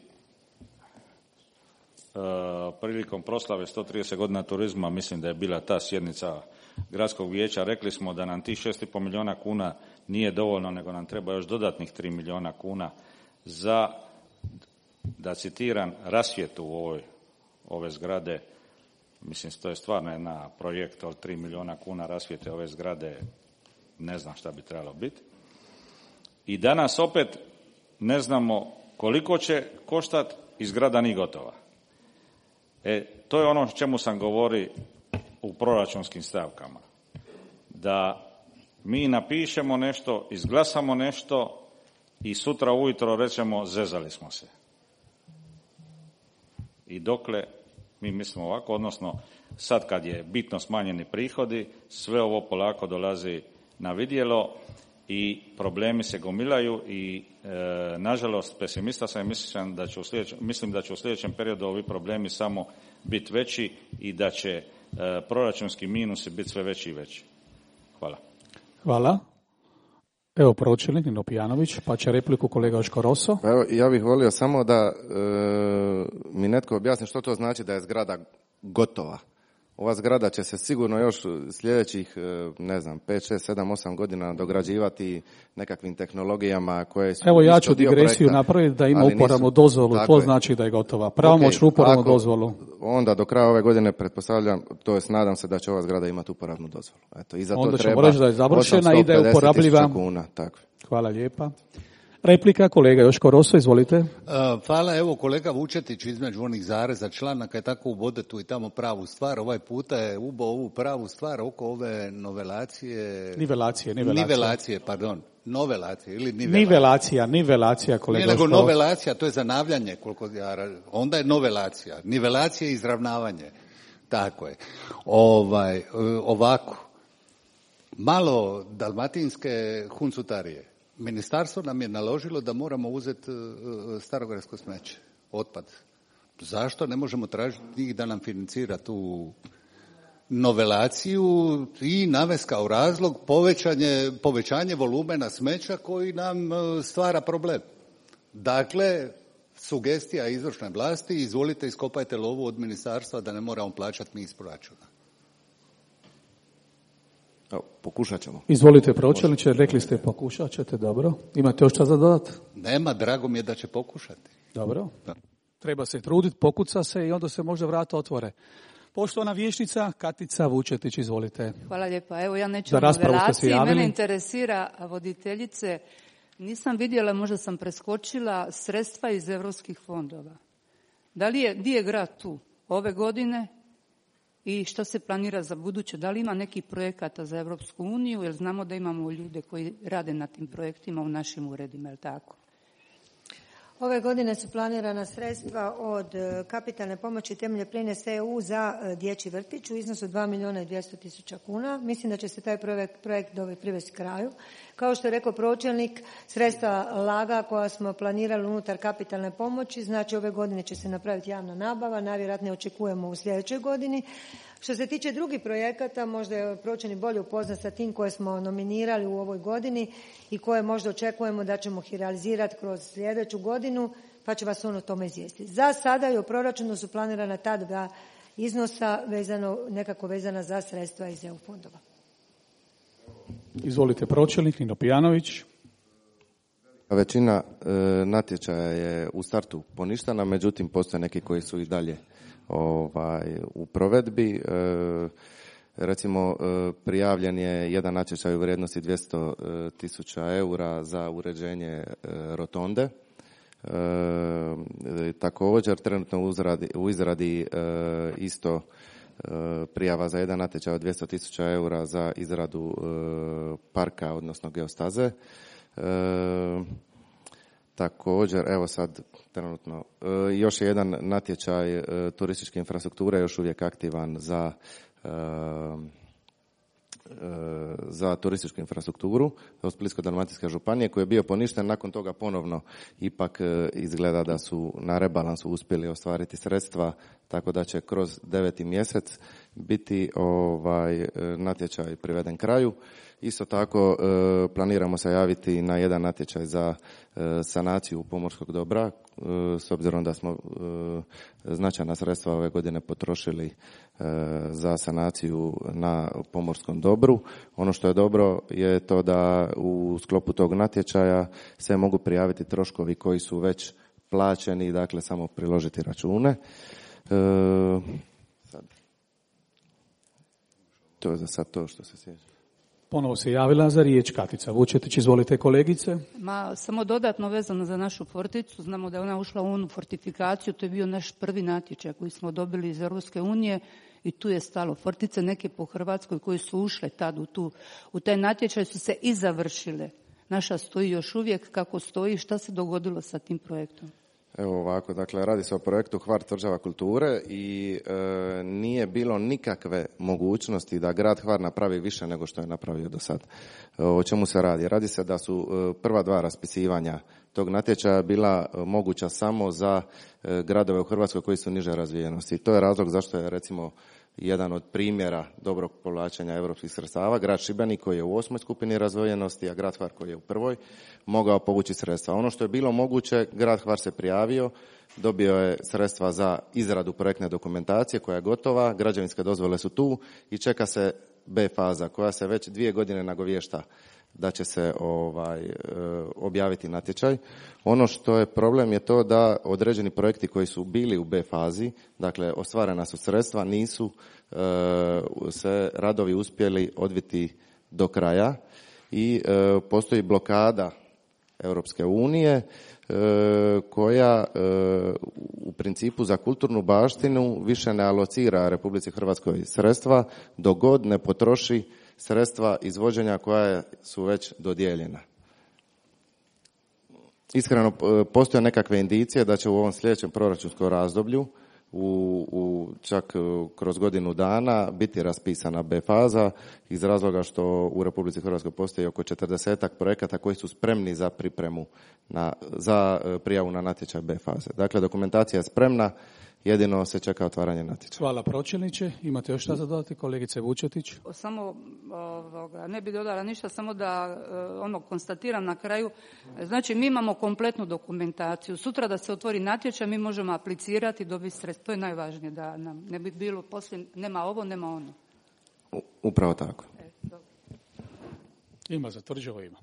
prilikom proslave sto trideset godina turizma, mislim da je bila ta sjednica gradskog vijeća, rekli smo da nam tih šest i pol milijuna kuna nije dovoljno, nego nam treba još dodatnih tri milijuna kuna za, da citiram, rasvjetu u ovoj, ove zgrade. Mislim, to je stvarno jedna projekt od tri milijuna kuna rasvjete ove zgrade, ne znam šta bi trebalo biti. I danas opet ne znamo koliko će koštati i zgrada nije gotova. E, to je ono o čemu sam govorio u proračunskim stavkama. Da mi napišemo nešto, izglasamo nešto i sutra ujutro rećemo zezali smo se. I dokle mi mislimo ovako, odnosno sad kad je bitno smanjeni prihodi, sve ovo polako dolazi na vidjelo i problemi se gomilaju i e, nažalost pesimista sam i mislim da će u sljedećem, mislim da će u sljedećem periodu ovi problemi samo biti veći i da će e, proračunski minusi biti sve veći i veći. Hvala. Hvala. Evo pročelnik Nino Pijanović, pa će repliku kolega Joško Rosso. Evo, ja bih volio samo da e, mi netko objasni što to znači da je zgrada gotova. Ova zgrada će se sigurno još sljedećih, ne znam, pet, šest, sedam, osam godina dograđivati nekakvim tehnologijama koje su... Evo ja ću digresiju napraviti da ima uporabnu nisu, dozvolu, to je, znači da je gotova. Pravomoćnu okay, uporabnu ako, dozvolu. Onda do kraja ove godine pretpostavljam, to jest nadam se da će ova zgrada imati uporabnu dozvolu. Eto, i za to onda treba ćemo reći da je završena i da je uporabljiva. Kuna, tako. Hvala lijepa. Replika, kolega Joško Rosso, izvolite. Uh, hvala, evo kolega Vučetić između onih zareza članaka je tako ubode tu i tamo pravu stvar. Ovaj puta je ubao ovu pravu stvar oko ove novelacije... Nivelacije, nivelacije. Nivelacije, pardon. Novelacije ili nivelacije. Nivelacija, nivelacija, kolega Joško. Nije nego novelacija, to je zanavljanje, koliko ja, onda je novelacija. Nivelacija je izravnavanje. Tako je. Ovaj, ovako. Malo dalmatinske huncutarije. Ministarstvo nam je naložilo da moramo uzeti starogradsko smeće, otpad. Zašto ne možemo tražiti njih da nam financira tu novelaciju i navesti kao razlog povećanje, povećanje volumena smeća koji nam stvara problem. Dakle, sugestija izvršne vlasti, izvolite iskopajte lovu od ministarstva da ne moramo plaćati mi iz proračuna. Evo, pokušat ćemo. Izvolite pročelniče, rekli ste pokušat ćete, dobro. Imate još šta za dodat? Nema, drago mi je da će pokušati. Dobro. Da. Treba se truditi, pokuca se i onda se možda vrata otvore. Poštovana vijećnica Katica Vučetić, izvolite. Hvala lijepa. Evo ja neću o novelaciji, mene interesira voditeljice Nisam vidjela, možda sam preskočila sredstva iz europskih fondova. Da li je, gdje je grad tu ove godine i što se planira za buduće? Da li ima nekih projekata za Europsku uniju, jer znamo da imamo ljude koji rade na tim projektima u našim uredima, je li tako? Ove godine su planirana sredstva od kapitalne pomoći temelje prines E U za dječji vrtić u iznosu dva milijuna i dvjesto tisuća kuna. Mislim da će se taj projekt, projekt privesti kraju. Kao što je rekao pročelnik, sredstva laga koja smo planirali unutar kapitalne pomoći, znači ove godine će se napraviti javna nabava, najvjerojatnije očekujemo u sljedećoj godini. Što se tiče drugih projekata, možda je pročelnik bolje upoznat sa tim koje smo nominirali u ovoj godini i koje možda očekujemo da ćemo ih realizirati kroz sljedeću godinu, pa će vas on o tome izvijestiti. Za sada i u proračunu su planirana ta dva iznosa vezano, nekako vezana za sredstva iz E U fondova. Izvolite pročelnik, Nino Pijanović. Većina e, natječaja je u startu poništena, međutim postoje neki koji su i dalje ovaj, u provedbi. E, recimo e, prijavljen je jedan natječaj u vrijednosti dvjesto tisuća eura za uređenje e, rotonde. E, također trenutno u izradi, u izradi e, isto e, prijava za jedan natječaj od dvjesto tisuća eura za izradu e, parka, odnosno geostaze. E, također, evo sad trenutno, e, još je jedan natječaj e, turističke infrastrukture još uvijek aktivan za e, za turističku infrastrukturu od Splitsko-dalmatinske županije koji je bio poništen, nakon toga ponovno ipak izgleda da su na rebalansu uspjeli ostvariti sredstva, tako da će kroz deveti mjesec biti ovaj natječaj priveden kraju. Isto tako planiramo se javiti na jedan natječaj za sanaciju pomorskog dobra, s obzirom da smo značajna sredstva ove godine potrošili za sanaciju na pomorskom dobru. Ono što je dobro je to da u sklopu tog natječaja se mogu prijaviti troškovi koji su već plaćeni, dakle samo priložiti račune. Sad. To je za sad to što se sjeća. Ponovo se javila za riječ Katica Vučetić. Izvolite kolegice. Ma, samo dodatno vezano za našu forticu. Znamo da je ona ušla u onu fortifikaciju. To je bio naš prvi natječaj koji smo dobili iz Europske unije i tu je stalo. Fortice neke po Hrvatskoj koje su ušle tad u, tu, u taj natječaj su se i završile. Naša stoji još uvijek kako stoji. Šta se dogodilo sa tim projektom? Evo ovako, dakle, radi se o projektu Hvar tvrđava kulture i e, nije bilo nikakve mogućnosti da grad Hvar napravi više nego što je napravio do sad. E, o čemu se radi? Radi se da su e, prva dva raspisivanja tog natječaja bila e, moguća samo za e, gradove u Hrvatskoj koji su niže razvijenosti. I to je razlog zašto je, recimo, jedan od primjera dobrog povlačenja europskih sredstava, grad Šibenik koji je u osmoj skupini razvijenosti, a grad Hvar koji je u prvoj, mogao povući sredstva. Ono što je bilo moguće, grad Hvar se prijavio, dobio je sredstva za izradu projektne dokumentacije koja je gotova, građevinske dozvole su tu i čeka se B faza koja se već dvije godine nagovješta da će se ovaj, objaviti natječaj. Ono što je problem je to da određeni projekti koji su bili u B fazi, dakle ostvarena su sredstva, nisu e, se radovi uspjeli odviti do kraja i e, postoji blokada Europske unije e, koja e, u principu za kulturnu baštinu više ne alocira Republici Hrvatskoj sredstva dok god ne potroši sredstva izvođenja koja su već dodijeljena. Iskreno, postoje nekakve indicije da će u ovom sljedećem proračunskom razdoblju u, u čak kroz godinu dana biti raspisana B faza iz razloga što u Republici Hrvatskoj postoji oko četrdesetak projekata koji su spremni za pripremu na, za prijavu na natječaj B faze. Dakle, dokumentacija je spremna, jedino se čeka otvaranje natječaja. Hvala pročelniče. Imate još šta za dodati, kolegice Vučetić? Samo, ovoga, ne bi dodala ništa, samo da ono konstatiram na kraju. Znači, mi imamo kompletnu dokumentaciju. Sutra da se otvori natječaj, mi možemo aplicirati i dobiti sredstva. To je najvažnije, da nam ne bi bilo poslije, nema ovo, nema ono. Upravo tako. E, ima za tvrđavo, ima.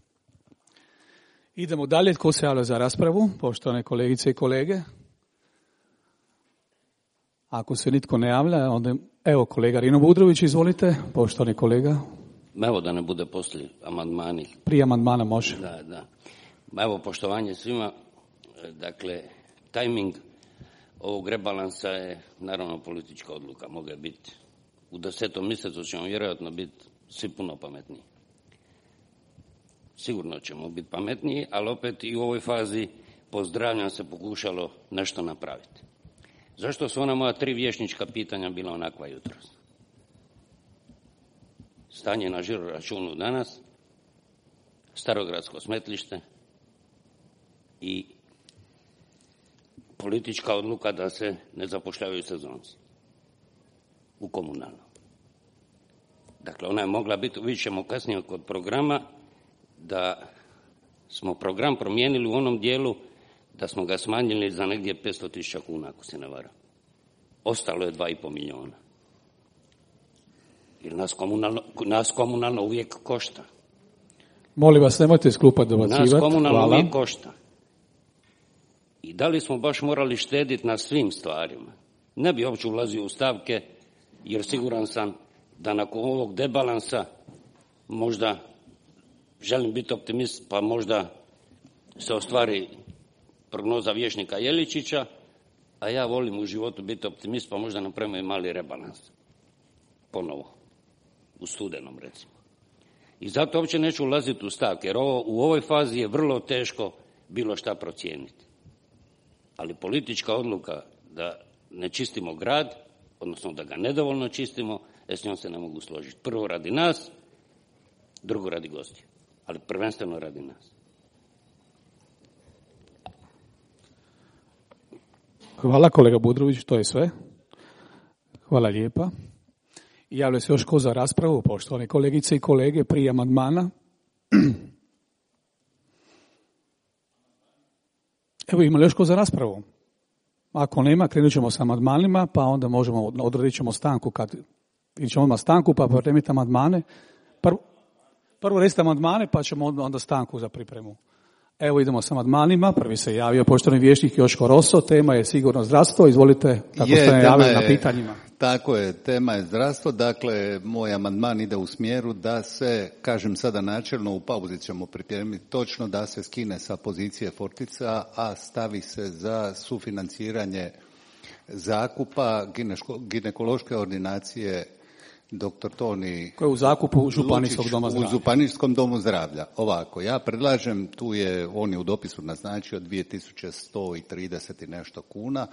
Idemo dalje. Tko se javlja za raspravu? Poštovane kolegice i kolege. Ako se nitko ne javlja, onda evo kolega Rino Budrović, izvolite, poštovani kolega. Evo da ne bude poslije amandmani. Prije amandmana može. Da, da. Evo, poštovanje svima. Dakle, tajming ovog rebalansa je naravno politička odluka. Mogla biti u desetom mjesecu, ćemo vjerojatno biti svi puno pametniji. Sigurno ćemo biti pametniji, ali opet i u ovoj fazi pozdravljam se pokušalo nešto napraviti. Zašto su ona moja tri vijećnička pitanja bila onakva jutros? Stanje na žiro računu danas, starogradsko smetlište i politička odluka da se ne zapošljavaju sezonci u komunalno. Dakle, ona je mogla biti, vidjet ćemo kasnije kod programa, da smo program promijenili u onom dijelu da smo ga smanjili za negdje petsto tisuća kuna, ako se ne varam. Ostalo je dva i pol milijuna. Jer nas komunalno, nas komunalno uvijek košta. Molim vas, nemojte iz klupa dobacivati. Nas komunalno Hvala. uvijek košta. I da li smo baš morali štediti na svim stvarima? Ne bi uopće ulazio u stavke, jer siguran sam da nakon ovog debalansa možda, želim biti optimist, pa možda se ostvari prognoza vijećnika Jeličića, a ja volim u životu biti optimist, pa možda napravimo i mali rebalans. Ponovo. U studenom, recimo. I zato uopće neću ulaziti u stavke, jer ovo, u ovoj fazi je vrlo teško bilo šta procijeniti. Ali politička odluka da ne čistimo grad, odnosno da ga nedovoljno čistimo, e s njom se ne mogu složiti. Prvo radi nas, drugo radi gostiju, ali prvenstveno radi nas. Hvala kolega Budrović, to je sve. Hvala lijepa. Javlja se još ko za raspravu, poštovane kolegice i kolege, prije amandmana. Evo, ima li još ko za raspravu? Ako nema, krenut ćemo sa amandmanima, pa onda možemo, odredit ćemo stanku, kad ćemo odmah stanku, pa pripremiti amandmane. Prvo, prvo recite amandmane, pa ćemo onda stanku za pripremu. Evo idemo sa amandmanima. Prvi se javio poštovani vijećnik Joško Roso. Tema je sigurno zdravstvo. Izvolite, kako je, ste najavili na pitanjima. Tako je, tema je zdravstvo. Dakle, moj amandman ide u smjeru da se, kažem sada načelno, u pauzi ćemo pripremiti točno, da se skine sa pozicije Fortica, a stavi se za sufinanciranje zakupa ginekološke ordinacije doktor Toni koji je u zakupu Županijskog doma zdravlja. U Županijskom domu zdravlja. Ovako, ja predlažem, tu je, on je u dopisu naznačio dvije tisuće sto trideset i nešto kuna.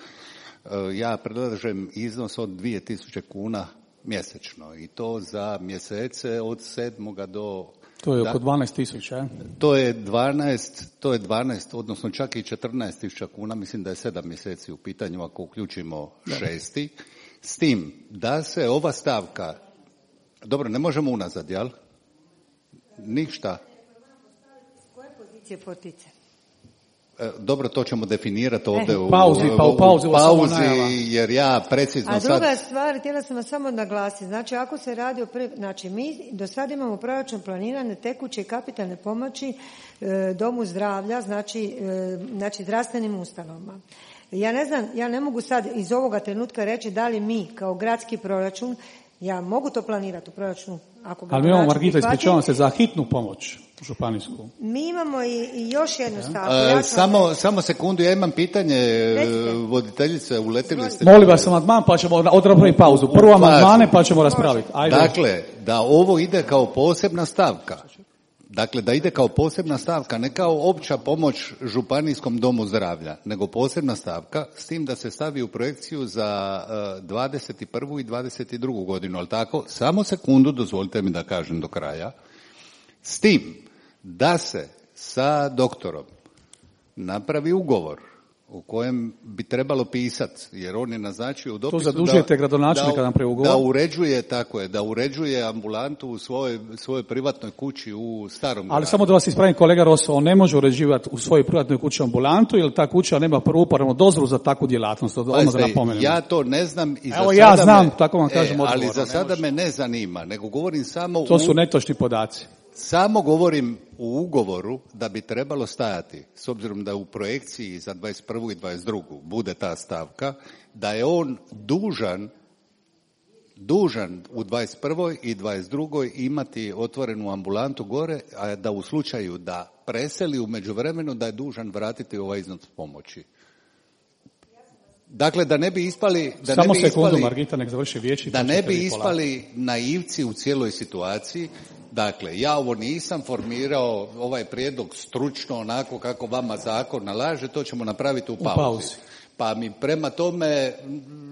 Ja predlažem iznos od dvije tisuće kuna mjesečno i to za mjesece od sedmoga do... To je oko dvanaest tisuća. To je dvanaest, to je dvanaest, odnosno čak i četrnaest tisuća kuna, mislim da je sedam mjeseci u pitanju ako uključimo šesti. S tim da se ova stavka, dobro, ne možemo unazad, jel? Ništa. S koje pozicije Fortice? E, dobro, to ćemo definirati ovdje u pauzi, pa u pauzi, u pauzi jer ja precizno sad... A druga sad... stvar, htjela sam vas samo naglasiti, znači ako se radi o... Pre... Znači, mi do sada imamo proračun planirane tekuće i kapitalne pomoći e, domu zdravlja, znači, e, znači zdravstvenim ustanovama. Ja ne znam, ja ne mogu sad iz ovoga trenutka reći da li mi kao gradski proračun, ja mogu to planirati u proračunu. Ako ga ali mi imamo, Margita, ispričavam se, za hitnu pomoć županijsku. Mi imamo i, i još jednu stavku. Ja ću... samo, samo sekundu, ja imam pitanje. Recite. Voditeljice, uletili ste... Molim vas amandman, pa ćemo odraditi pauzu. Prvo amandmane, pa ćemo raspraviti. Ajde. Dakle, da ovo ide kao posebna stavka. Dakle, da ide kao posebna stavka, ne kao opća pomoć Županijskom domu zdravlja, nego posebna stavka, s tim da se stavi u projekciju za uh, dvadeset prvu i dvadeset drugu godinu, ali tako, samo sekundu, dozvolite mi da kažem do kraja, s tim da se sa doktorom napravi ugovor u kojem bi trebalo pisati, jer on je naznačio u dopisu to zadužujete gradonačelnika da, da, da uređuje, tako je, da uređuje ambulantu u svojoj, svojoj privatnoj kući u starom gradu. Ali samo da vas ispravim, kolega Roso, on ne može uređivati u svojoj privatnoj kući ambulantu, jer ta kuća nema prvuporabnu dozvolu za takvu djelatnost. Ono da napomenem. Ja to ne znam i za Evo, sada ja znam, me, tako vam kažem e, odgovor. Ali za sada me ne zanima, nego govorim samo... To su netočni podaci. Samo govorim u ugovoru da bi trebalo stajati, s obzirom da u projekciji za dvadeset prvu i dvadeset drugu bude ta stavka, da je on dužan dužan u dvadeset prvoj i dvadeset drugoj imati otvorenu ambulantu gore, a da u slučaju da preseli u međuvremenu da je dužan vratiti ovaj iznos pomoći. Dakle, da ne bi ispali... Da Samo ne bi sekundu, ispali, Margita, nek završi vijeći. Da ne bi ispali naivci u cijeloj situaciji. Dakle, ja ovo nisam formirao, ovaj prijedlog stručno, onako kako vama zakon nalaže, to ćemo napraviti u pauzi. U pauzi. Pa mi prema tome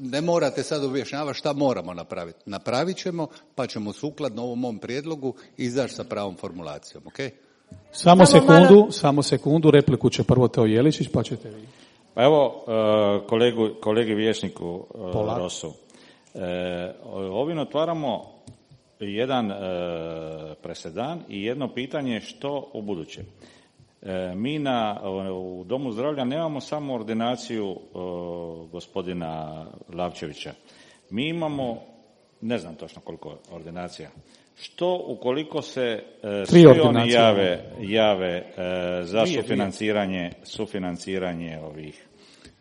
ne morate sad objašnjavati šta moramo napraviti. Napravit ćemo, pa ćemo sukladno ovom mom prijedlogu izaći sa pravom formulacijom, ok? Samo, samo sekundu, malo... samo sekundu, repliku će prvo Teo Jeličić, pa ćete vi. Pa evo, kolegu, kolegi vijećniku Rosu. Ovim otvaramo jedan presedan i jedno pitanje što u buduće. Mi na, u Domu zdravlja nemamo samo ordinaciju gospodina Lavčevića. Mi imamo, ne znam točno koliko ordinacija. Što ukoliko se svi oni jave, jave za sufinanciranje, sufinanciranje ovih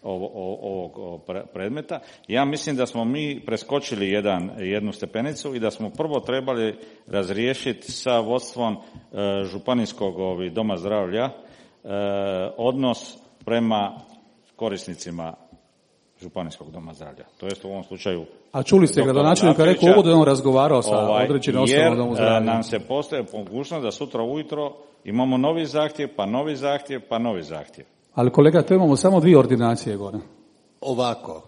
ovog predmeta. Ja mislim da smo mi preskočili jedan, jednu stepenicu i da smo prvo trebali razriješiti sa vodstvom e, županijskog ovi, doma zdravlja e, odnos prema korisnicima županijskog doma zdravlja. To jest u ovom slučaju... A čuli ste gradonačelnika rekao uvodu da on razgovarao sa ovaj, određenim osobama domu zdravlja. Jer nam se postoje mogućnost da sutra ujutro imamo novi zahtjev, pa novi zahtjev, pa novi zahtjev. Ali kolega, to imamo samo dvije ordinacije gore. Ovako,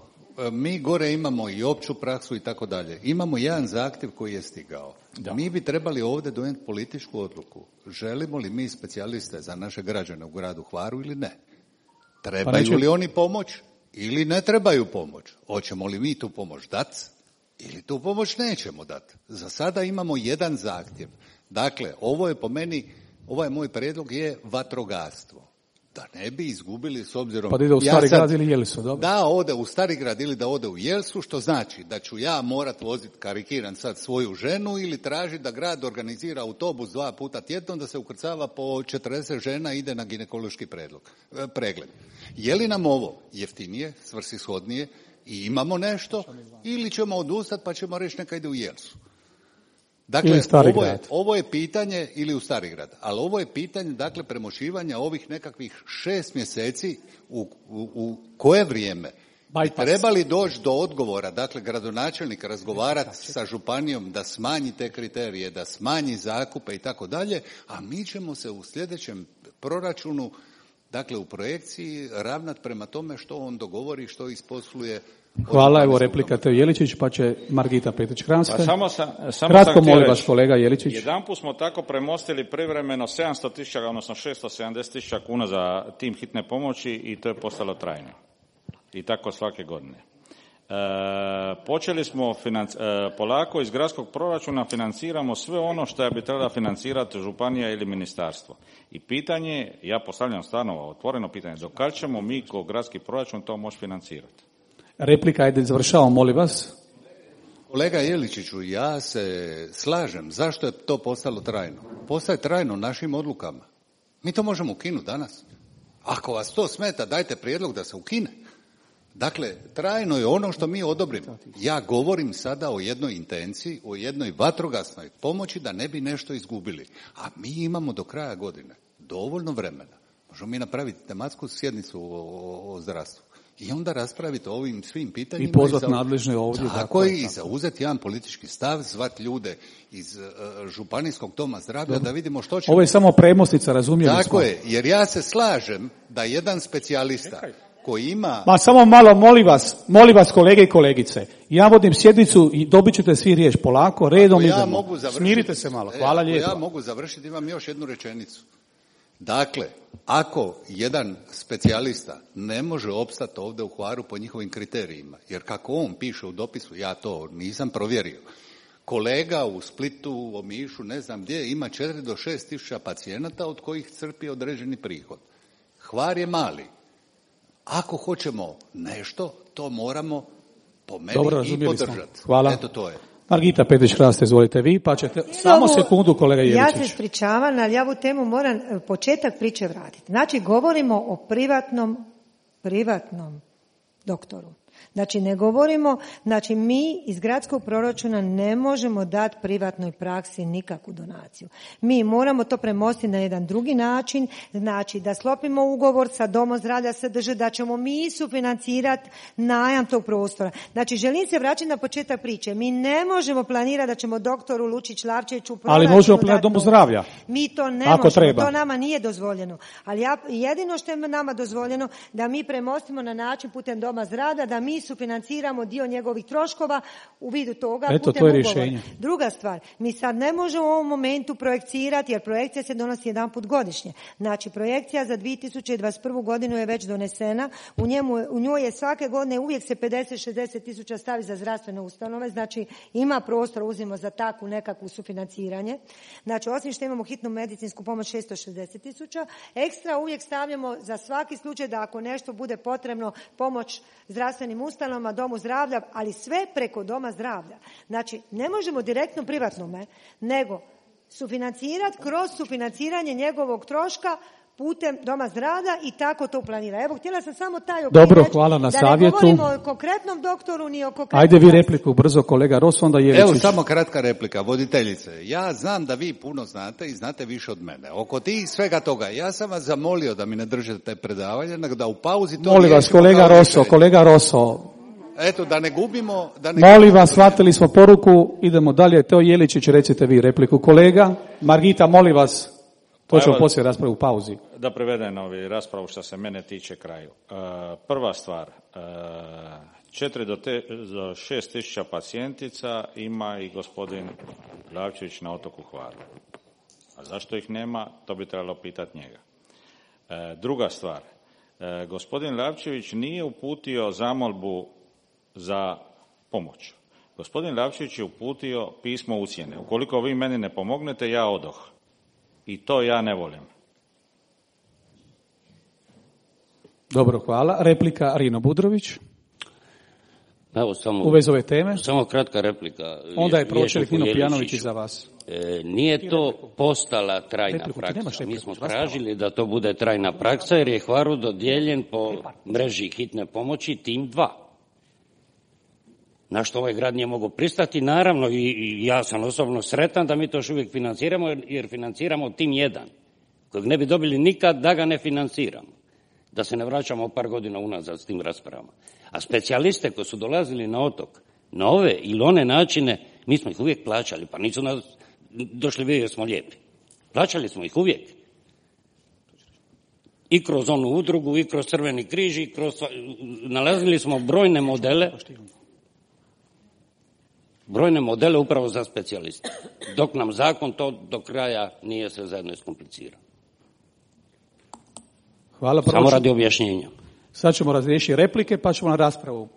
mi gore imamo i opću praksu i tako dalje. Imamo jedan zahtjev koji je stigao. Da. Mi bi trebali ovdje donijeti političku odluku. Želimo li mi specijaliste za naše građane u gradu Hvaru ili ne? Trebaju pa neće... li oni pomoć ili ne trebaju pomoć? Hoćemo li mi tu pomoć dati ili tu pomoć nećemo dati? Za sada imamo jedan zahtjev. Dakle, ovo je po meni, ovaj moj prijedlog je vatrogastvo. Da ne bi izgubili s obzirom... Pa da ide u Stari ja sad, grad ili Jelsu, dobro? Da ode u Stari grad ili da ode u Jelsu, što znači da ću ja morat voziti, karikiran sad, svoju ženu ili tražiti da grad organizira autobus dva puta tjedno da se ukrcava po četrdeset žena i ide na ginekološki predlog, pregled. Je li nam ovo jeftinije, svrsishodnije i imamo nešto ili ćemo odustati pa ćemo reći neka ide u Jelsu? Dakle, ovo je, ovo je pitanje, ili u Starigrad, ali ovo je pitanje, dakle, premošivanja ovih nekakvih šest mjeseci u, u, u koje vrijeme bi trebali doći do odgovora, dakle, gradonačelnik razgovarati sa županijom da smanji te kriterije, da smanji zakupe i tako dalje, a mi ćemo se u sljedećem proračunu, dakle, u projekciji ravnati prema tome što on dogovori, što isposluje. Hvala, evo replika Teo Jeličić, pa će Margita Petrić-Kranjska. Pa samo sam, samo Kratko molim vas, kolega Jeličić. Jedan put smo tako premostili privremeno sedamsto tisuća, odnosno šesto sedamdeset tisuća kuna za tim hitne pomoći i to je postalo trajno. I tako svake godine. E, počeli smo financ, e, polako iz gradskog proračuna financiramo sve ono što bi trebala financirati županija ili ministarstvo. I pitanje, ja postavljam stvarno otvoreno pitanje, do kad ćemo mi kao gradski proračun to moći financirati? Replika, ajde završavamo, molim vas. Kolega Jeličiću, ja se slažem. Zašto je to postalo trajno? Postaje trajno našim odlukama. Mi to možemo ukinuti danas. Ako vas to smeta, dajte prijedlog da se ukine. Dakle, trajno je ono što mi odobrimo. Ja govorim sada o jednoj intenciji, o jednoj vatrogasnoj pomoći da ne bi nešto izgubili. A mi imamo do kraja godine dovoljno vremena. Možemo mi napraviti tematsku sjednicu o, o, o zdravstvu. I onda raspraviti o ovim svim pitanjima. I pozvati nadležne ovdje. Tako je, i zauzeti jedan politički stav, zvati ljude iz uh, županijskog doma zdravlja da vidimo što ćemo. Ovo je samo premostica, razumijeli Tako smo. je, jer ja se slažem da jedan specijalista koji ima... Ma samo malo, molim vas, molim vas kolege i kolegice. Ja vodim sjednicu i dobit ćete svi riječ polako, redom ja idemo. Smirite se malo, hvala lijepo. Ja mogu završiti, imam još jednu rečenicu. Dakle, ako jedan specijalista ne može opstati ovdje u Hvaru po njihovim kriterijima, jer kako on piše u dopisu, ja to nisam provjerio, kolega u Splitu, u Omišu, ne znam gdje, ima četiri do šest tisuća pacijenata od kojih crpi određeni prihod. Hvar je mali. Ako hoćemo nešto, to moramo po meni Dobro, i podržati. Hvala. Eto to je. Margita Petrić-Kranjska, izvolite vi, pa ćete... Samo sekundu, kolega Jeličić. Ja se ispričavam, ali ja ovu temu moram početak priče vratiti. Znači, govorimo o privatnom, privatnom doktoru. Znači ne govorimo, znači mi iz gradskog proračuna ne možemo dati privatnoj praksi nikakvu donaciju. Mi moramo to premostiti na jedan drugi način, znači da sklopimo ugovor sa domom zdravlja S D Ž, da ćemo mi sufinancirati najam tog prostora. Znači želim se vraćati na početak priče. Mi ne možemo planirati da ćemo doktoru Lučić-Lavčeviću ali možemo planirati domu zdravlja. Mi to ne Ako možemo, treba. To nama nije dozvoljeno. Ali ja, jedino što je nama dozvoljeno da mi premostimo na način putem doma zdravlja, da mi sufinanciramo dio njegovih troškova u vidu toga. Eto, putem to je ugovora. rješenje. Druga stvar, mi sad ne možemo u ovom momentu projekcirati, jer projekcija se donosi jedan put godišnje. Znači, projekcija za dvije tisuće dvadeset prvu godinu je već donesena. U, njemu, u njoj je svake godine uvijek se pedeset do šezdeset tisuća stavi za zdravstvene ustanove. Znači, ima prostor, uzimo za takvu nekakvu sufinanciranje. Znači, osim što imamo hitnu medicinsku pomoć šesto šezdeset tisuća, ekstra uvijek stavljamo za svaki slučaj da ako nešto bude potrebno pomoć zdravstvenim ustanovama, domu zdravlja, ali sve preko doma zdravlja. Znači, ne možemo direktno privatnome, nego sufinancirati kroz sufinanciranje njegovog troška putem doma zdravlja i tako to planira. Evo, htjela sam samo taj okvir Dobro, reći, hvala na da savjetu. ne govorimo o konkretnom doktoru ni o konkretnom... Ajde vi repliku brzo, kolega Ros, onda Jeličić. Evo, samo kratka replika, voditeljice. Ja znam da vi puno znate i znate više od mene. Oko tih svega toga, ja sam vas zamolio da mi ne držite predavanje, nego da u pauzi to... Molim vas, kolega Roso, kolega Roso. Eto, da ne gubimo... Da ne Molim gubimo vas, shvatili smo poruku, idemo dalje. Teo Jeličić, recite vi repliku. Kolega, Margita, molim vas, to ćemo poslije raspravu u pauzi. Da prevedem ovi raspravu što se mene tiče kraju. E, prva stvar, e, četiri do, te, do šest tisuća pacijentica ima i gospodin Lavčević na otoku Hvaru. A zašto ih nema, to bi trebalo pitati njega. E, druga stvar, e, gospodin Lavčević nije uputio zamolbu za pomoć. Gospodin Lavčević je uputio pismo ucjene. Ukoliko vi meni ne pomognete, ja odoh. I to ja ne volim. Dobro, hvala. Replika Rino Budrović. Evo, samo, u vezi ove teme. Samo kratka replika. Onda je pročelnik Nino Pijanović i za vas. E, nije to postala trajna repliku, praksa. Mi smo tražili da to bude trajna praksa jer je Hvaru dodijeljen po mreži hitne pomoći tim dva. Na što ovaj grad nije mogao pristati, naravno i, i ja sam osobno sretan da mi to još uvijek financiramo jer, jer financiramo tim jedan, kojeg ne bi dobili nikad da ga ne financiramo. Da se ne vraćamo par godina unazad s tim raspravama. A specijaliste koji su dolazili na otok, na ove ili one načine, mi smo ih uvijek plaćali, pa nisu nas došli vidjeti jer smo lijepi. Plaćali smo ih uvijek. I kroz onu udrugu, i kroz Crveni križ, i kroz... Nalazili smo brojne modele, brojne modele upravo za specijaliste. Dok nam zakon to do kraja nije sve zajedno iskomplicirao. Hvala, samo radi objašnjenja. Sad ćemo razriješiti replike, pa ćemo na raspravu.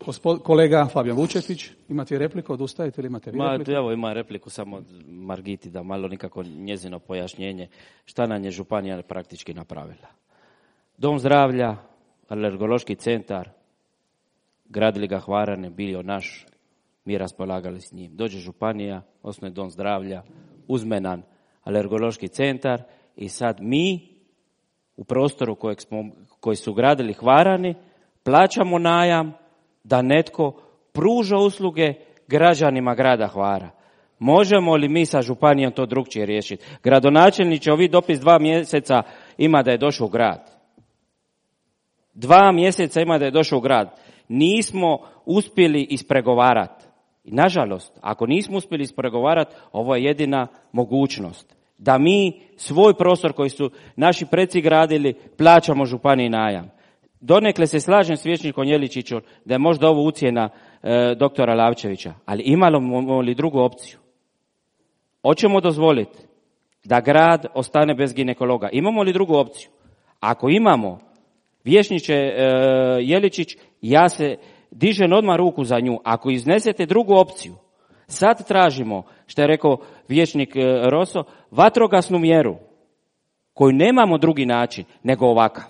Gospod, kolega Fabijan Vučetić, imate repliku, odustajete ili imate vi repliku? Ma, evo ima repliku samo Margiti, da malo nikako njezino pojašnjenje šta nam je županija praktički napravila. Dom zdravlja, alergološki centar, gradili ga Hvarane, bio naš, mi raspolagali s njim. Dođe županija, osnuje dom zdravlja, uzme nam alergološki centar i sad mi u prostoru kojeg smo, koji su gradili Hvarani plaćamo najam da netko pruža usluge građanima grada Hvara. Možemo li mi sa županijom to drukčije riješiti? Gradonačelniče, ovi dopis dva mjeseca ima da je došao u grad. Dva mjeseca ima da je došao u grad. Nismo uspjeli ispregovarati. I nažalost, ako nismo uspjeli ispregovarati, ovo je jedina mogućnost. Da mi svoj prostor koji su naši preci gradili, plaćamo županiji najam. Donekle se slažem s vijećnikom Jeličićom da je možda ovo ucjena e, doktora Lavčevića, ali imamo li drugu opciju? Hoćemo dozvoliti da grad ostane bez ginekologa? Imamo li drugu opciju? Ako imamo, vijećniče e, Jeličić, ja se dižem odmah ruku za nju. Ako iznesete drugu opciju, sad tražimo, što je rekao vijećnik e, Roso, vatrogasnu mjeru koju nemamo drugi način nego ovakav.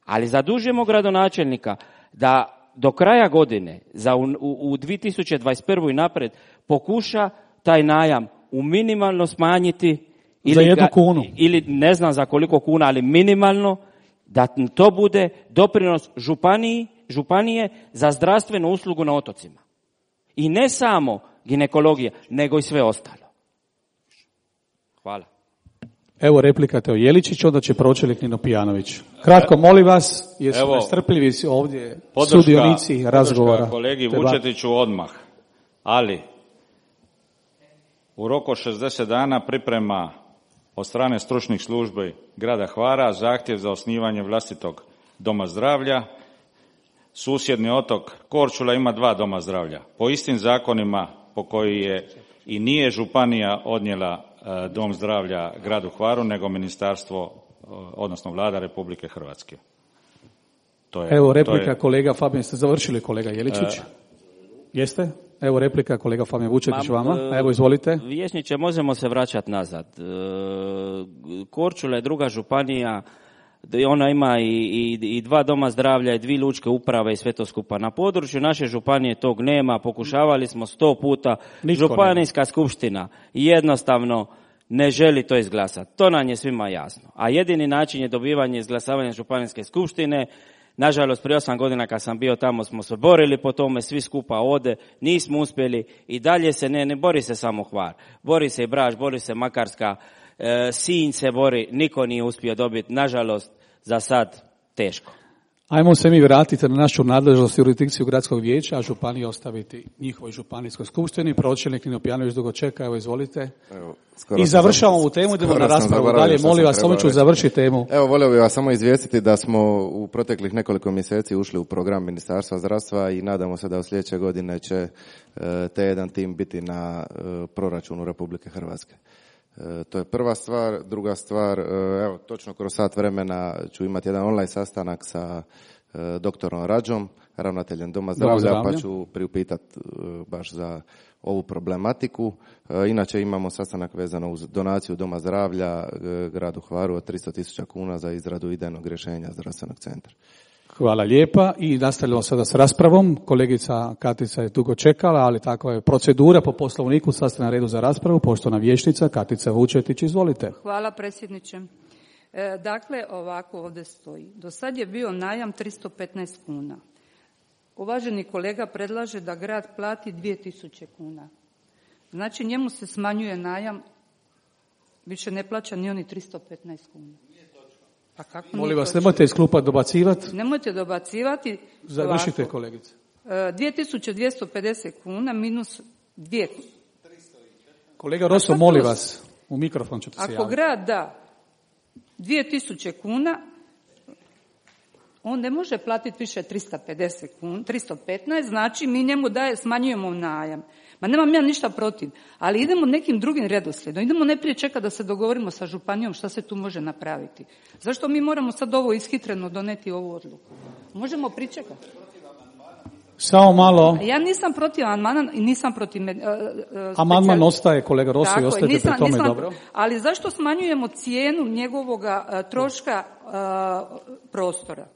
Ali zadužujemo gradonačelnika da do kraja godine, za u, u, u dvije tisuće dvadeset prvu i napred, pokuša taj najam u minimalno smanjiti. Ili za jednu kunu. Ga, ili ne znam za koliko kuna, ali minimalno, da to bude doprinos županiji županije za zdravstvenu uslugu na otocima. I ne samo ginekologija, nego i sve ostalo. Hvala. Evo replika Teo Jeličić, onda će pročelnik Nino Pijanović. Kratko, molim vas, jesu nestrpljivi ovdje podrška, sudionici razgovora. Podrška kolegi Vučetiću odmah, ali u roku šezdeset dana priprema od strane stručnih službi grada Hvara zahtjev za osnivanje vlastitog doma zdravlja. Susjedni otok Korčula ima dva doma zdravlja. Po istim zakonima po koji je i nije županija odnijela dom zdravlja gradu Hvaru, nego ministarstvo, odnosno vlada Republike Hrvatske. To je, Evo replika je... kolega Fabijan, ste završili kolega Jeličić? E... Jeste? Evo replika kolega Fabijan Vučetić vama. Evo izvolite. Vijećniče, možemo se vraćati nazad. Korčula je druga županija, ona ima i, i, i dva doma zdravlja i dvije lučke uprave i sve to skupa. Na području naše županije tog nema, pokušavali smo sto puta. Nitko Županijska nema. Skupština jednostavno ne želi to izglasati. To nam je svima jasno. A jedini način je dobivanje izglasavanja Županijske skupštine. Nažalost, prije osam godina kad sam bio tamo smo se borili po tome, svi skupa ode, nismo uspjeli i dalje se ne, ne bori se samo Hvar. Bori se i Brač, bori se Makarska, e, Sinj se bori, niko nije uspio dobiti, nažalost, za sad teško. Ajmo se mi vratiti na našu nadležnost i jurisdikciju gradskog vijeća, a županiju ostaviti njihovoj županijskoj skupštini. Pročelnik Nino Pijanović dugo čeka, evo izvolite. Evo, I završavamo ovu temu, idemo na raspravu dalje. Molim vas, samo ću završiti temu. Evo, volio bih vas samo izvijestiti da smo u proteklih nekoliko mjeseci ušli u program Ministarstva zdravstva i nadamo se da od sljedeće godine će te jedan tim biti na proračunu Republike Hrvatske. E, to je prva stvar. Druga stvar, e, evo, točno kroz sat vremena ću imati jedan online sastanak sa e, doktorom Rađom, ravnateljem Doma zdravlja, zdravlja. Pa ću priupitati e, baš za ovu problematiku. E, inače imamo sastanak vezano uz donaciju Doma zdravlja e, gradu Hvaru od tristo tisuća kuna za izradu idejnog rješenja zdravstvenog centra. Hvala lijepa i nastavljamo sada s raspravom. Kolegica Katica je dugo čekala, ali tako je procedura po poslovniku, sad ste na redu za raspravu. Poštovana vijećnica Katica Vučetić, izvolite. Hvala predsjedniče. E, dakle, ovako ovdje stoji. Do sad je bio najam tristo petnaest kuna. Uvaženi kolega predlaže da grad plati dvije tisuće kuna. Znači njemu se smanjuje najam, više ne plaća ni oni tristo petnaest kuna. Pa kako Molim vas, nemojte iz klupa dobacivati. Nemojte dobacivati. Završite, ovako. Kolegice. dvije tisuće dvjesto pedeset kuna minus dvije. Kolega Roso, molim vas, u mikrofon ćete se javiti. Ako grad da dvije tisuće kuna, on ne može platiti više tristo pedeset kuna, tristo petnaest, znači mi njemu daje, smanjujemo najam. Ma nemam ja ništa protiv, ali idemo nekim drugim redoslijedom. Idemo najprije čekati da se dogovorimo sa županijom šta se tu može napraviti. Zašto mi moramo sad ovo ishitreno doneti ovu odluku? Možemo pričekati. Samo malo. Ja nisam protiv amandmana i nisam protiv... Uh, uh, Amandman ostaje, kolega Roso, i ostajete pri tome nisam, dobro. Ali zašto smanjujemo cijenu njegovog uh, troška uh, prostora?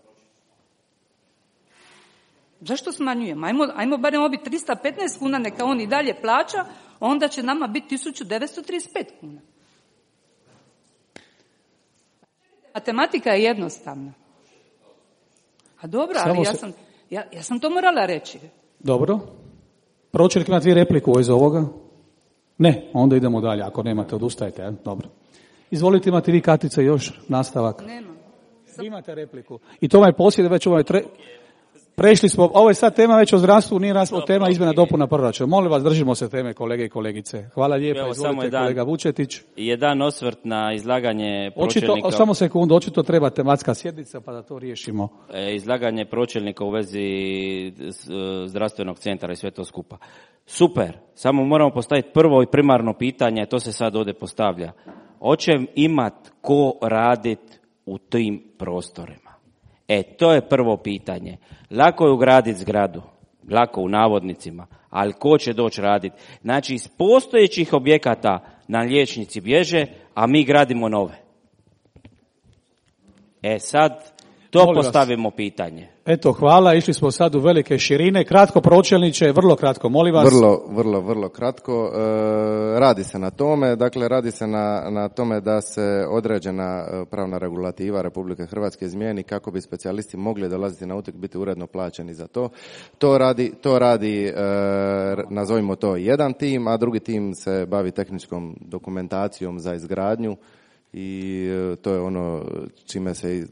Zašto smanjujemo? Ajmo, ajmo barem obi tristo petnaest kuna, neka on i dalje plaća, onda će nama biti tisuću devetsto trideset pet kuna. Matematika je jednostavna. A dobro, Samo ali ja sam, ja, ja sam to morala reći. Dobro. Pročelnik ima dvije repliku iz ovoga? Ne, onda idemo dalje. Ako nemate, odustajte. Ja? Dobro. Izvolite, imate vi Katica još nastavak? Nemam. Imate repliku. I to ovaj posjed već ovaj... Tre... Prešli smo, ovo je sad tema već o zdravstvu, nije raspravo, tema izmjena dopuna proračuna. Molim vas, držimo se teme, kolege i kolegice. Hvala lijepa, Evo, izvolite jedan, kolega Vučetić. Jedan osvrt na izlaganje pročelnika. Očito, samo sekundu, očito treba tematska sjednica pa da to riješimo. E, izlaganje pročelnika u vezi zdravstvenog centra i sve to skupa. Super, samo moramo postaviti prvo i primarno pitanje, to se sad ovdje postavlja. Hoće imat ko radit u tim prostorima? E, to je prvo pitanje. Lako je ugraditi zgradu, lako u navodnicima, ali ko će doći raditi? Znači, iz postojećih objekata nam liječnici bježe, a mi gradimo nove. E sad, To Molim postavimo vas. Pitanje. Eto, hvala. Išli smo sad u velike širine. Kratko, pročelniče, vrlo kratko, molim vas. Vrlo, vrlo, vrlo kratko. E, radi se na tome, dakle, radi se na, na tome da se određena pravna regulativa Republike Hrvatske izmijeni kako bi specijalisti mogli dolaziti na utek, biti uredno plaćeni za to. To radi, to radi e, nazovimo to jedan tim, a drugi tim se bavi tehničkom dokumentacijom za izgradnju i e, to je ono čime se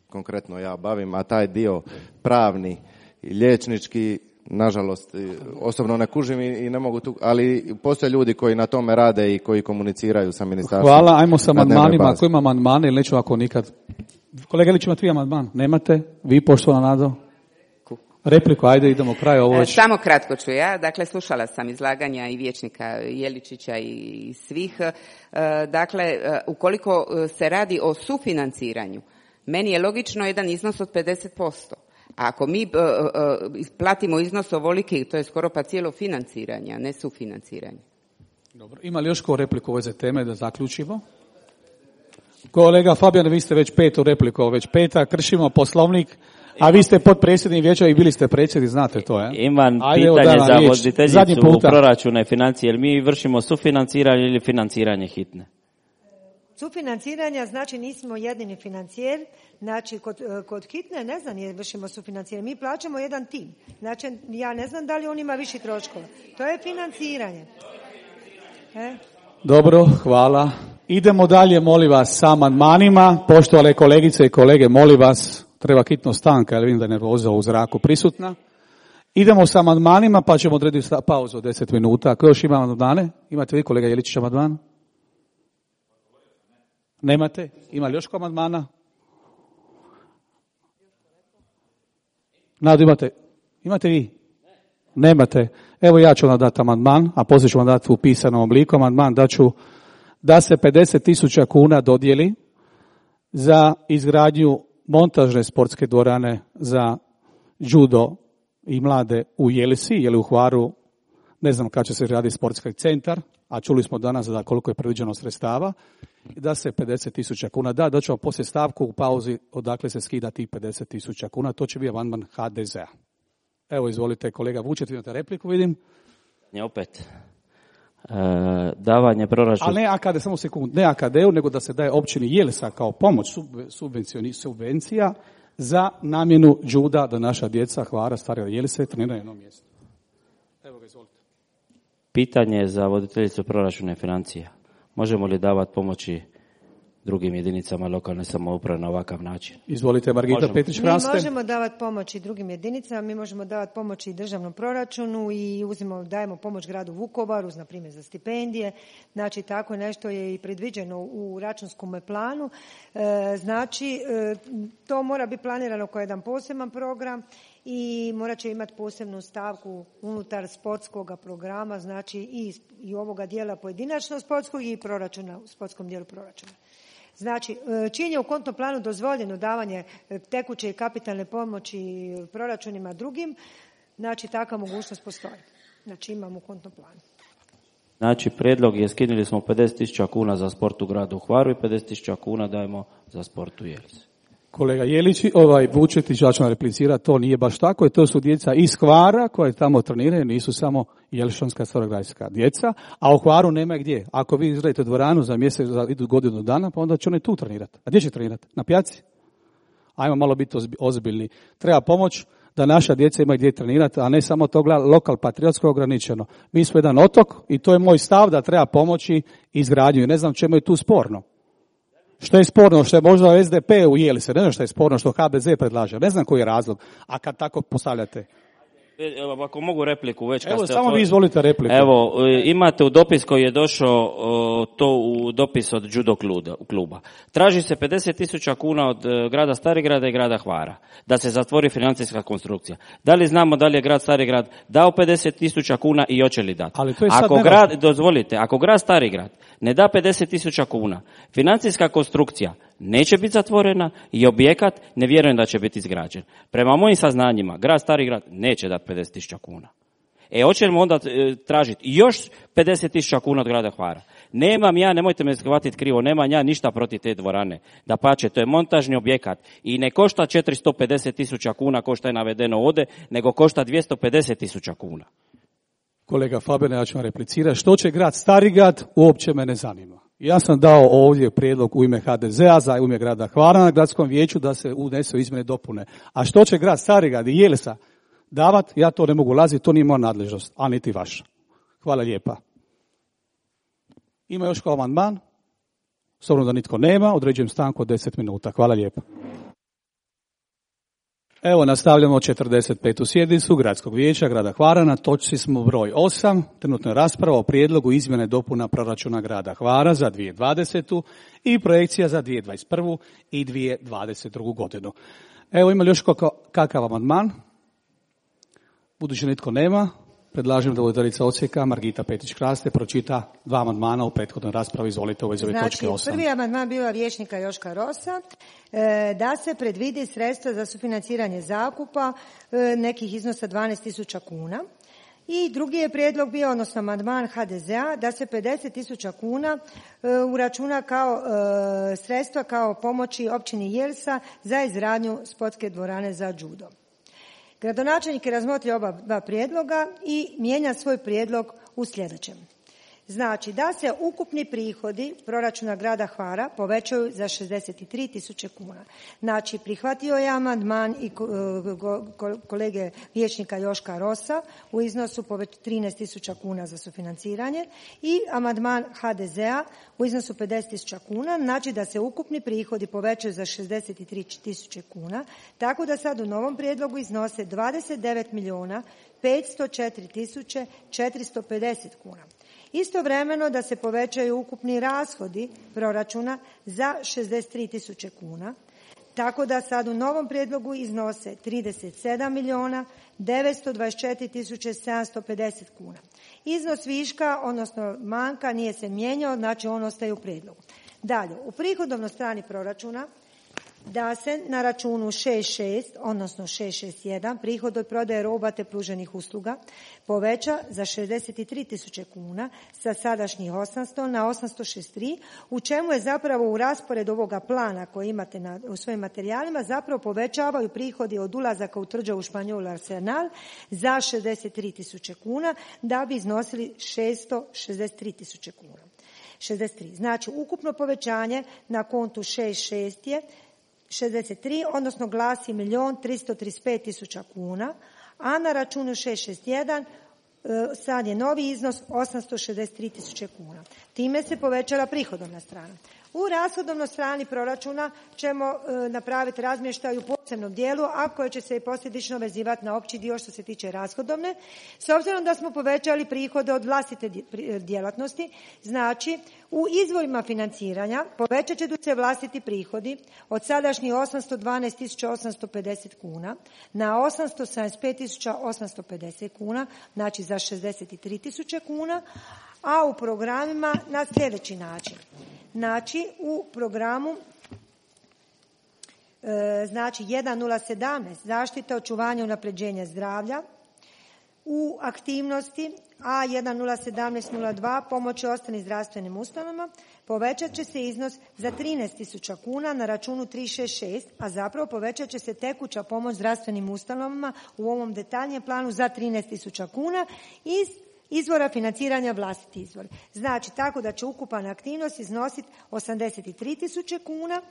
konkretno ja bavim, a taj dio pravni i liječnički, nažalost, osobno ne kužim i ne mogu tu, ali postoje ljudi koji na tome rade i koji komuniciraju sa ministarstvom. Hvala, ajmo sa amandmanima. Ako ima amandmane ili neću ako nikad. Kolega Ilić, imate vi amandman? Nemate? Vi, poštovana Nado? Repliku, ajde, idemo kraj ovo već. Samo kratko ću ja. Dakle, slušala sam izlaganja i vijećnika Jeličića i svih. Dakle, ukoliko se radi o sufinanciranju, meni je logično jedan iznos od pedeset posto. A ako mi uh, uh, platimo iznos ovoliki, to je skoro pa cijelo financiranje, a ne sufinanciranje. Dobro. Ima li još ko repliku u ove teme da zaključimo? Kolega Fabijan, vi ste već petu repliku, već peta, kršimo poslovnik, a vi ste potpredsjednik vijeća i bili ste predsjednik, znate to, je? Imam Ajde, pitanje za voditeljicu u proračuna i financije, jer mi vršimo sufinanciranje ili financiranje hitne? Sufinanciranja, znači nismo jedini financijer, znači kod, kod hitne ne znam je vršimo sufinanciranje, mi plaćamo jedan tim, znači ja ne znam da li on ima viši troškova, to je financiranje. E? Dobro, hvala. Idemo dalje, molim vas, sa amandmanima, poštovane kolegice i kolege, molim vas, treba hitno stanka, jer vidim da je nervoza u zraku prisutna. Idemo sa amandmanima, pa ćemo odrediti pauzu od deset minuta. Ako još ima amandmane, imate vi kolega Jeličić amandman? Nemate? Ima li još amandmana? Nadu, imate? Imate vi? Nemate. Evo ja ću vam dati amandman, a poslije ću vam dati u pisanom obliku amandman, da ću da se pedeset tisuća kuna dodijeli za izgradnju montažne sportske dvorane za judo i mlade u Jelisi, jer u Hvaru ne znam kada će se raditi sportski centar, a čuli smo danas da koliko je predviđeno sredstava, da se pedeset tisuća kuna da, da ćemo poslije stavku u pauzi odakle se skida tih pedeset tisuća kuna, to će biti amandman ha de zea. Evo, izvolite, kolega Vučet, imate repliku, vidim. Ne, opet. E, davanje proračuna. Ali ne A K D, samo sekund, ne A K D-u, nego da se daje općini Jelsa kao pomoć subvencija za namjenu džuda da naša djeca Hvara, Starija Jelise treniraju na jednom mjestu. Evo ga, izvolite. Pitanje za voditeljicu proračuna i financija. Možemo li davati pomoći drugim jedinicama lokalne samouprave na ovakav način? Izvolite, Margita Petrić-Hraste. Mi možemo davati pomoć i drugim jedinicama, mi možemo davati pomoć i državnom proračunu i uzimamo, dajemo pomoć gradu Vukovaru, na primjer za stipendije. Znači, tako nešto je i predviđeno u računskom planu. E, znači, e, to mora biti planirano kao jedan poseban program i morat će imati posebnu stavku unutar sportskog programa, znači i, i ovoga dijela pojedinačno sportskog i proračuna, u sportskom dijelu proračuna. Znači, čim je u kontnom planu dozvoljeno davanje tekuće i kapitalne pomoći proračunima drugim, znači takva mogućnost postoji. Znači imamo u kontnom planu. Znači, prijedlog je skinuli smo pedeset tisuća kuna za sport u gradu Hvaru i pedeset tisuća kuna dajemo za sport u Jelisi. Kolega Jelić, ovaj Vučetić, ja ću vam replicirati, to nije baš tako, to su djeca iz Hvara koje tamo treniraju, nisu samo Jelišanska starograjska djeca, a u Hvaru nema gdje. Ako vi izgradite dvoranu za mjesec, za idu godinu dana, pa onda će oni tu trenirati. A gdje će trenirati? Na pijaci? Ajmo malo biti ozbiljni. Treba pomoć da naša djeca imaju gdje trenirati, a ne samo to gleda lokal patriotsko ograničeno. Mi smo jedan otok i to je moj stav da treba pomoći izgradnju. Ne znam čemu je tu sporno. Što je sporno, što je možda S D P u Jelise, ne znam što je sporno, što H D Z predlaže, ne znam koji je razlog, a kad tako postavljate. Evo, ako mogu repliku već. Evo, samo vi izvolite repliku. Evo, imate u dopis koji je došao, to u dopis od judo kluba. Traži se pedeset tisuća kuna od grada Starigrada i grada Hvara, da se zatvori financijska konstrukcija. Da li znamo da li je grad Starigrad dao pedeset tisuća kuna i hoće li dati? Ali to je sad ako grad, dozvolite, ako grad Starigrad ne da pedeset tisuća kuna, financijska konstrukcija neće biti zatvorena i objekat ne vjerujem da će biti izgrađen. Prema mojim saznanjima, grad Starigrad neće dati pedeset tisuća kuna. E, hoćemo onda e, tražiti još pedeset tisuća kuna od grada Hvara. Nemam ja, nemojte me shvatiti krivo, nemam ja ništa protiv te dvorane. Dapače, to je montažni objekat i ne košta četiristo pedeset tisuća kuna ko što je navedeno ovdje, nego košta dvjesto pedeset tisuća kuna. Kolega Fabijan, ja ću vam replicirati. Što će grad Starigrad, uopće me ne zanima. Ja sam dao ovdje prijedlog u ime ha de zea za u ime grada Hvara na gradskom vijeću da se unesu izmjene i dopune. A što će grad Starigrad i Jelsa davat, ja to ne mogu ulaziti, to nije moja nadležnost, a niti vaša. Hvala lijepa. Ima još kao amandman? S obzirom da nitko nema, određujem stanku od deset minuta. Hvala lijepa. Evo, nastavljamo četrdeset petu sjednicu Gradskog vijeća grada Hvara. Na točci smo broj osam. Trenutno je rasprava o prijedlogu izmjene dopuna proračuna grada Hvara za dvije tisuće dvadesetu i projekcija za dvije tisuće dvadeset prvu i dvije tisuće dvadeset drugu godinu. Evo, ima li još kakav amandman? Budući nitko nema, predlažem da voditeljica odsjeka Margita Petić-Kraste pročita dva amandmana u prethodnoj raspravi. Izvolite, ovo iz ove znači, točke osam. Prvi amandman bio vijećnika Joška Rosa, e, da se predvidi sredstva za sufinanciranje zakupa e, nekih iznosa dvanaest tisuća kuna. I drugi je prijedlog bio, odnosno amandman ha de zea, da se pedeset tisuća kuna e, uračuna kao e, sredstva kao pomoći općini Jelsa za izgradnju sportske dvorane za judo. Gradonačelnik je razmotrio oba dva prijedloga i mijenja svoj prijedlog u sljedećem. Znači da se ukupni prihodi proračuna grada Hvara povećaju za šezdeset tri tisuće kuna. Znači prihvatio je amandman i kolege vijećnika Joška Rosa u iznosu trinaest tisuća kuna za sufinanciranje i amandman ha de zea u iznosu pedeset tisuća kuna, znači da se ukupni prihodi povećaju za šezdeset tri tisuće kuna, tako da sad u novom prijedlogu iznose dvadeset devet milijuna petsto četiri tisuće četiristo pedeset kuna. Istovremeno da se povećaju ukupni rashodi proračuna za šezdeset tri tisuće kuna, tako da sad u novom prijedlogu iznose trideset sedam milijuna devetsto dvadeset četiri tisuće sedamsto pedeset kuna. Iznos viška, odnosno manjka, nije se mijenjao, znači on ostaje u prijedlogu. Dalje, u prihodovnoj strani proračuna da se na računu šest šest, odnosno šest šest jedan, prihod od prodaje roba te pruženih usluga poveća za šezdeset tri tisuće kuna sa sadašnjih osamsto na osamsto šezdeset tri, u čemu je zapravo u rasporedu ovoga plana koji imate na, u svojim materijalima zapravo povećavaju prihodi od ulazaka u tvrđavu Španjol Arsenal za šezdeset tri tisuće kuna da bi iznosili šesto šezdeset tri tisuće kuna. šezdeset tri. Znači ukupno povećanje na kontu šest šest je šezdeset tri, odnosno glasi milijun tristo trideset pet tisuća kuna, a na računu šest šest jedan sad je novi iznos osamsto šezdeset tri tisuće kuna. Time se povećala prihodovna strana. U rashodovnoj strani proračuna ćemo e, napraviti razmještaj u posebnom dijelu, a koje će se i posljedično vezivati na opći dio što se tiče rashodovne. S obzirom da smo povećali prihode od vlastite djelatnosti, znači u izvorima financiranja povećat će se vlastiti prihodi od sadašnjih osamsto dvanaest tisuća osamsto pedeset kuna na osamsto sedamdeset pet tisuća osamsto pedeset kuna, znači za šezdeset tri tisuće kuna, a u programima na sljedeći način. Znači, u programu e, znači jedan nula sedamnaest zaštita, očuvanje, unapređenje zdravlja, u aktivnosti A jedan nula sedamnaest nula dva pomoći ostalim zdravstvenim ustanovama povećat će se iznos za trinaest tisuća kuna na računu tri šest šest, a zapravo povećat će se tekuća pomoć zdravstvenim ustanovama u ovom detaljnijem planu za trinaest tisuća kuna iz izvora financiranja vlastiti izvor. Znači, tako da će ukupna aktivnost iznositi osamdeset tri tisuće kuna,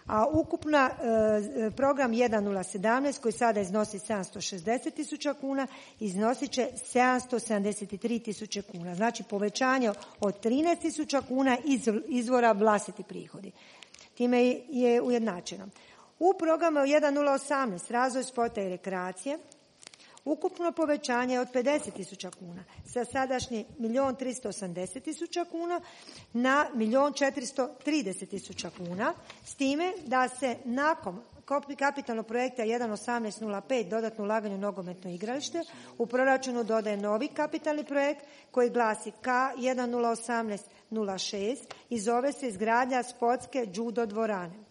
a ukupna e, program jedan nula sedamnaest koji sada iznosi sedamsto šezdeset tisuća kuna iznosit će sedamsto sedamdeset tri tisuće kuna. Znači, povećanje od trinaest tisuća kuna iz izvora vlastiti prihodi. Time je ujednačeno. U programu jedan nula osamnaest razvoj sporta i rekreacije ukupno povećanje od pedeset tisuća kuna sa sadašnji milijun tristo osamdeset tisuća kuna na milijun četiristo trideset tisuća kuna, s time da se nakon kapitalnog projekta jedan osamnaest nula pet dodatno ulaganje u nogometno igralište u proračunu dodaje novi kapitalni projekt koji glasi K jedan nula osamnaest nula šest i zove se izgradnja sportske judo dvorane.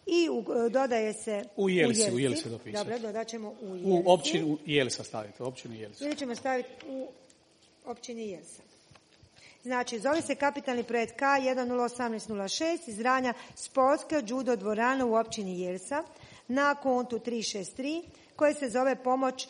i u, dodaje se u Jelsi. U Jelsi dopisati. Dobro, dodat ćemo u Jelsi. U općinu Jelsa stavite, u općinu Jelsa. Ili ćemo staviti u općini Jelsa. Znači, zove se kapitalni projekt K jedan nula osamnaest nula šest izgradnja sportske judo dvorane u općini Jelsa na kontu tri šest tri koje se zove pomoć,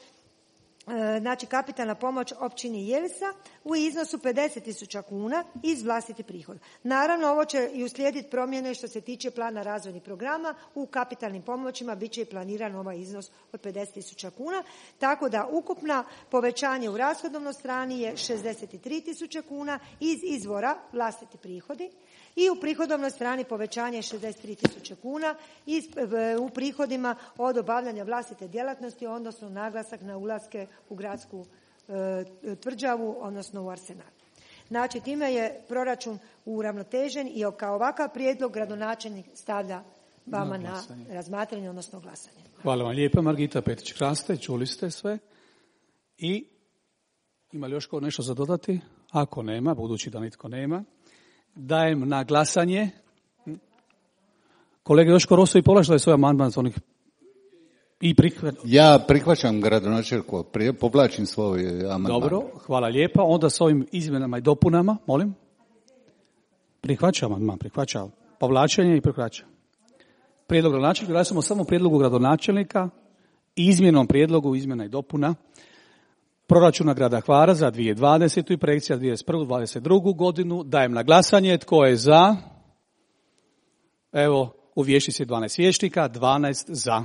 znači kapitalna pomoć općini Jelsa u iznosu pedeset tisuća kuna iz vlastitih prihoda. Naravno, ovo će i uslijediti promjene što se tiče plana razvojnih programa. U kapitalnim pomoćima bit će i planiran ovaj iznos od pedeset tisuća kuna, tako da ukupna povećanje u rashodovnoj strani je šezdeset tri tisuće kuna iz izvora vlastiti prihodi i u prihodovnoj strani povećanje je šezdeset tri tisuće kuna iz, u prihodima od obavljanja vlastite djelatnosti, odnosno naglasak na ulaske u gradsku e, tvrđavu, odnosno u Arsenal. Znači, time je proračun uravnotežen i kao ovakav prijedlog gradonačelnik stavlja vama na, na razmatranje, odnosno glasanje. Hvala vam lijepa, Margita Petić-Kraste, čuli ste sve. I ima li još ko nešto za dodati? Ako nema, budući da nitko nema, dajem na glasanje. Kolega Joško Roso i Polaš da je svoj amandman za onih i prihvat... Ja prihvaćam gradonačelniku, povlačim svoj amandman. Dobro, hvala lijepa. Onda s ovim izmjenama i dopunama, molim. Prihvaćam amandman, prihvaćam. Povlačenje i prihvaćam. Prijedlog gradonačelnika, glasamo samo prijedlogu gradonačelnika i izmjenom prijedlogu izmjena i dopuna proračuna grada Hvara za dvije tisuće dvadesetu i projekcija dvadeset prvu dvadeset drugu godinu. Dajem na glasanje. Tko je za? Evo, u vijećnici dvanaest vijećnika, dvanaest za.